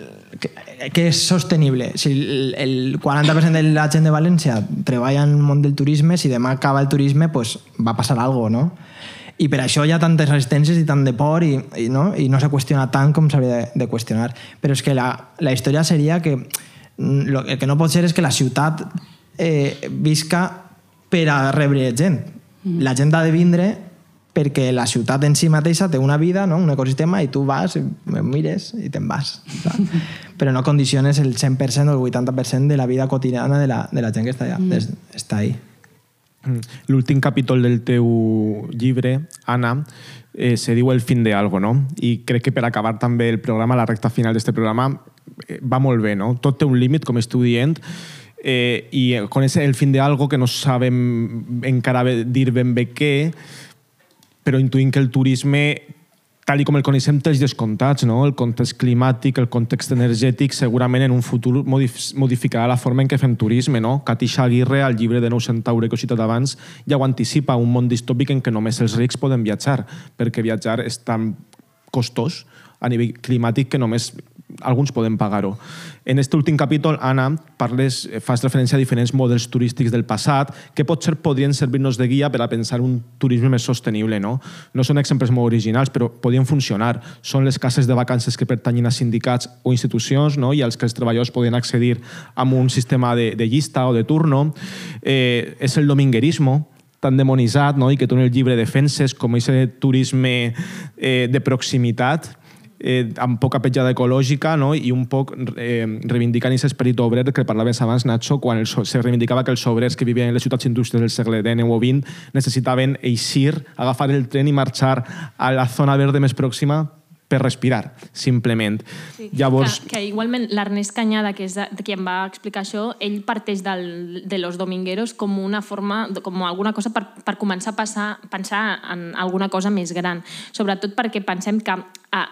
què és sostenible? Si el, el quaranta per cent de la gent de València treballa en el món del turisme, si demà acaba el turisme, pues va passar alguna cosa, no? I per això hi ha tantes resistències i tant de por i, i, no? I no s'ha qüestionat tant com s'hauria de, de qüestionar. Però és que la, la història seria que lo, el que no pot ser és que la ciutat eh, visca per a rebre gent. Mm. La gent ha de vindre perquè la ciutat en si mateixa té una vida, no? Un ecosistema, i tu vas, mires i te'n vas. Però no condiciones el cent per cent o el vuitanta per cent de la vida quotidiana de la, de la gent que està allà. Mm. Està ahí. L'últim capítol del teu llibre, Anna, eh, se diu El fin de algo, no? I crec que per acabar també el programa, la recta final d'aquest programa, eh, va molt bé, no? Tot té un límit, com esteu dient, eh, i con ese el fin de algo que no sabem encara dir ben bé què, però intuïm que el turisme, tal com el coneixem, té els descomptats, no? El context climàtic, el context energètic, segurament en un futur modificarà la forma en què fem turisme, no? Katisha Aguirre, al llibre de Nou Centaure que he citat abans, ja ho anticipa, un món distòpic en què només els rics poden viatjar, perquè viatjar és tan costós a nivell climàtic que només alguns poden pagar-ho. En aquest últim capítol, Anna, parles, fas referència a diferents models turístics del passat que potser podrien servir-nos de guia per a pensar un turisme més sostenible, no? No són exemples molt originals, però podien funcionar. Són les cases de vacances que pertanyen a sindicats o institucions, no? I als que els treballadors podien accedir amb un sistema de, de llista o de turno. Eh, és el dominguerismo, tan demonitzat, no? I que tu en el llibre defenses com aquest turisme eh, de proximitat, Eh, amb poca petjada ecològica, no? I un poc eh, reivindicant aquest esperit obrer que parlaves abans, Nacho, quan el, se reivindicava que els obrers que vivien en les ciutats indústries del segle dinou o vint necessitaven eixir, agafar el tren i marxar a la zona verde més pròxima per respirar, simplement. Sí. Llavors... Que, que igualment l'Ernest Cañada, que és de, qui em va explicar això, ell parteix del, de los domingueros com una forma, com alguna cosa per, per començar a passar, pensar en alguna cosa més gran. Sobretot perquè pensem que ah,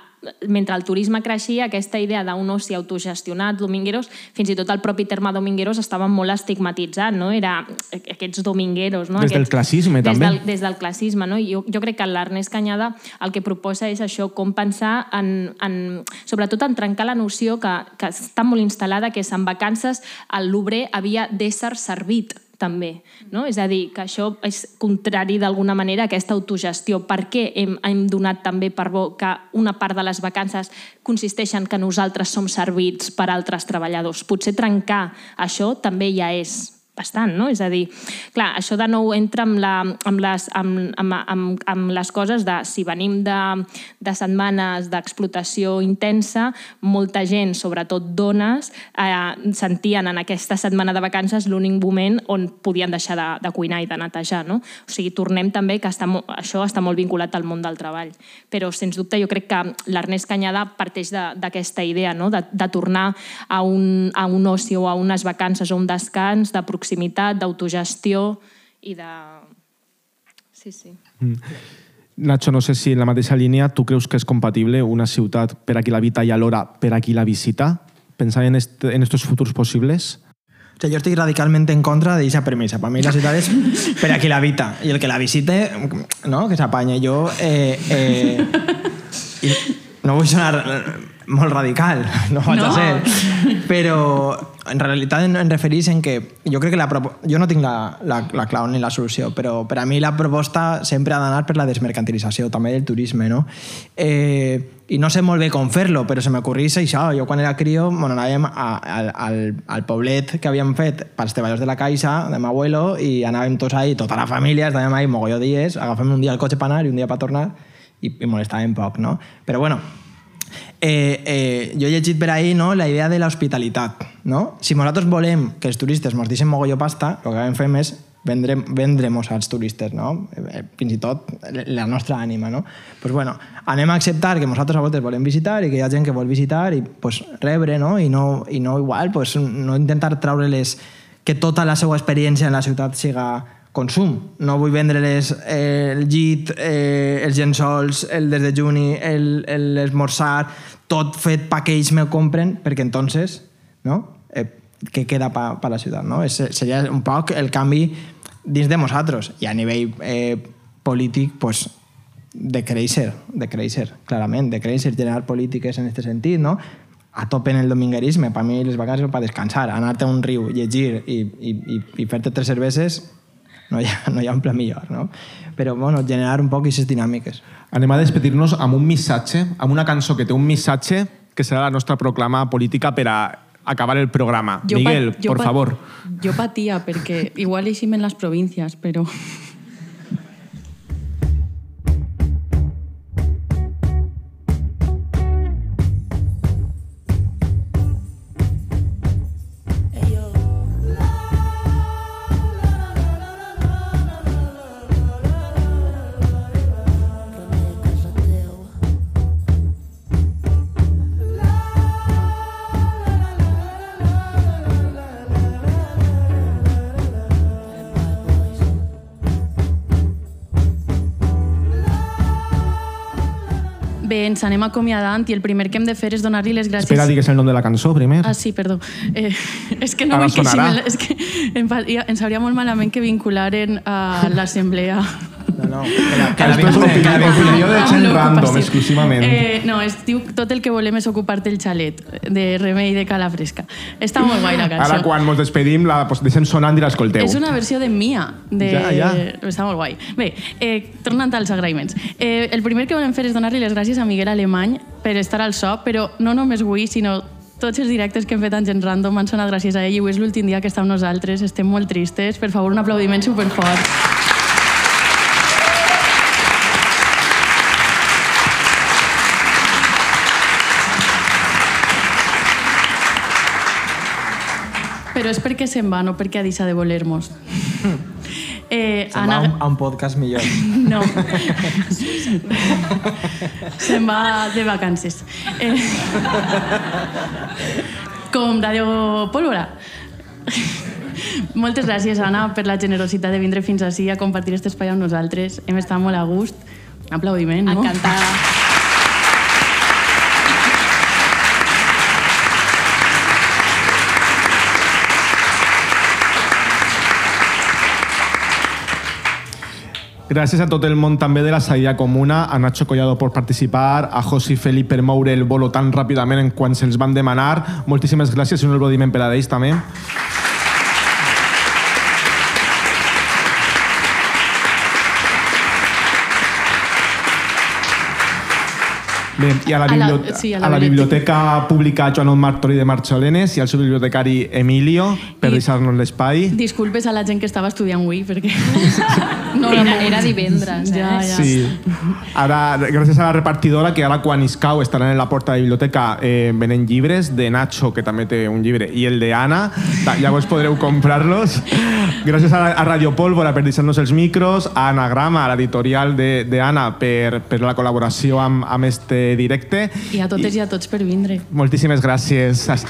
mentre el turisme creixia, aquesta idea d'un oci autogestionat, domingueros, fins i tot el propi terme domingueros estava molt estigmatitzat, no? Era aquests domingueros, no? Des del aquests, classisme, des també. Del, des del classisme, no? Jo, jo crec que l'Ernest Cañada el que proposa és això, com pensar en, en sobretot en trencar la noció que, que està molt instal·lada, que és en vacances l'obrer havia d'ésser servit, també, no? És a dir, que això és contrari d'alguna manera a aquesta autogestió. Per què hem, hem donat també per bo que una part de les vacances consisteix en que nosaltres som servits per altres treballadors? Potser trencar això també ja és bastant, no? És a dir, clar, això de nou entra amb, la, amb, les, amb, amb, amb, amb les coses de si venim de, de setmanes d'explotació intensa, molta gent, sobretot dones, eh, sentien en aquesta setmana de vacances l'únic moment on podien deixar de, de cuinar i de netejar, no? O sigui, tornem també que està, això està molt vinculat al món del treball. Però, sens dubte, jo crec que l'Ernest Canyada parteix d'aquesta idea, no? de, de tornar a un, a un oci o a unes vacances o un descans de proximitat, d'autogestió i de... Sí, sí. Mm. Nacho, no sé si en la mateixa línia tu creus que és compatible una ciutat per a qui l'habita i alhora per a qui la visita? Pensant en, este, en estos futurs possibles? O sea, yo estoy radicalmente en contra de esa premisa. Para mí la ciudad es per a qui l'habita y el que la visite, ¿no? Que s'apañe. Jo eh, eh, no vull sonar molt radical, no vaig no. a ser, però en realitat em referís en que jo crec que la jo no tinc la, la, la clau ni la solució, però per a mi la proposta sempre ha d'anar per la desmercantilització també del turisme, no? Eh, i no sé molt bé com fer-lo, però se m'ocorrís això. Jo quan era crio, bueno, anàvem a, a, al, al poblet que havíem fet pels treballadors de la Caixa, de m'abuelo, i anàvem tots ahí, tota la família, estàvem ahí mogolló dies, agafem un dia el cotxe per anar i un dia per tornar, i, i molestàvem poc, no? Però bueno, Eh, eh, jo he llegit per ahí, no, la idea de l'hospitalitat, no? Si nosaltres volem que els turistes ens deixen mogolló pasta, el que fem és vendre, vendre-mos als turistes, no? Eh, fins i tot la nostra ànima, no? Pues bueno, anem a acceptar que nosaltres a voltes volem visitar i que hi ha gent que vol visitar i pues, rebre, no? I no, i no igual, pues, no intentar treure-les que tota la seva experiència en la ciutat siga consum. No vull vendre-les eh, el llit, eh, els llençols, el desdejuni, l'esmorzar, tot fet pa que ells me compren, perquè entonces, no? Eh, què queda per pa la ciutat, no? Es, seria un poc el canvi dins de nosaltres. I a nivell eh, polític, pues, de créixer, de créixer, clarament, de créixer, generar polítiques en aquest sentit, no? A tope en el dominguerisme. Per mi les vacances són per descansar, anar-te a un riu, llegir i, i, i, i fer-te tres cerveses, no hi ha, no hi ha un pla millor, no? Però, bueno, generar un poc aquestes dinàmiques. Anem a despedir-nos amb un missatge, amb una cançó que té un missatge que serà la nostra proclama política per a acabar el programa. Jo Miguel, pa, por pa, favor. Jo patia, perquè igual eixim en les províncies, però... Bé, ens anem acomiadant i el primer que hem de fer és donar-li les gràcies... Espera, digues el nom de la cançó primer. Ah, sí, perdó. Eh, és que no Ara vull que... sonarà. És que em, ens hauria molt malament que vincularen a l'assemblea. No, no, que la, que la Esto es opinió de gent random, sí. exclusivament. Eh, no, es diu Tot el que volem és ocupar-te el xalet, de Remei de Calafresca. Està molt guai la cançó. Ara, quan ens despedim, la pues, deixem sonant i l'escolteu. És una versió de Mia. De... Ja, ja. Està molt guai. Bé, eh, tornant als agraïments. Eh, el primer que volem fer és donar-li les gràcies a Miguel Alemany per estar al so, però no només avui, sinó tots els directes que hem fet en Gent Random han sonat gràcies a ell i avui és l'últim dia que està amb nosaltres. Estem molt tristes. Per favor, un aplaudiment superfort. Però és perquè se'n va, no perquè ha deixat de voler-nos. Eh, se'n Anna... va a un podcast millor. No. Se'n va de vacances. Eh... Com Radio Pólvora. Moltes gràcies, Anna, per la generositat de vindre fins ací a compartir aquest espai amb nosaltres. Hem estat molt a gust. Un aplaudiment, no? Encantada. Gràcies a tot el món també de la Saïda Comuna, a Nacho Collado per participar, a Josi Feli per moure el bolo tan ràpidament en quan se'ls van demanar. Moltíssimes gràcies i un aplaudiment per a ells també. Bé, i a la, A la- bibliote sí, a la a la biblioteca. Biblioteca Pública Joan Martori de Marxolenes i al seu bibliotecari Emilio per I- deixar-nos l'espai. Disculpes a la gent que estava estudiant avui, perquè... No, era, era divendres, eh? Ja, ja. Sí. Ara, gràcies a la repartidora, que ara quan iscau estaran en la porta de la biblioteca eh, venent llibres, de Nacho, que també té un llibre, i el de Anna, llavors podreu comprar-los. Gràcies a, a Radio Pólvora per deixar-nos els micros, a Anagrama, a l'editorial d'Anna, per, per la col·laboració amb, amb este directe. I a totes i, i a tots per vindre. Moltíssimes gràcies. Anna,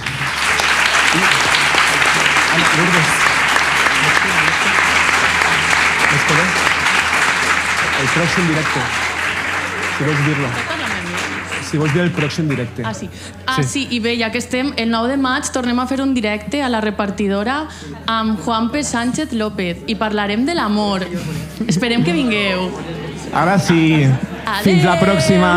Lourdes. El pròxim directe. Si vols dir-lo. Si vols dir el pròxim directe. Ah, sí. Ah, sí. I bé, ja que estem, el nou de maig tornem a fer un directe a la repartidora amb Juanpe Sánchez López i parlarem de l'amor. Esperem que vingueu. Ara sí. Fins la pròxima.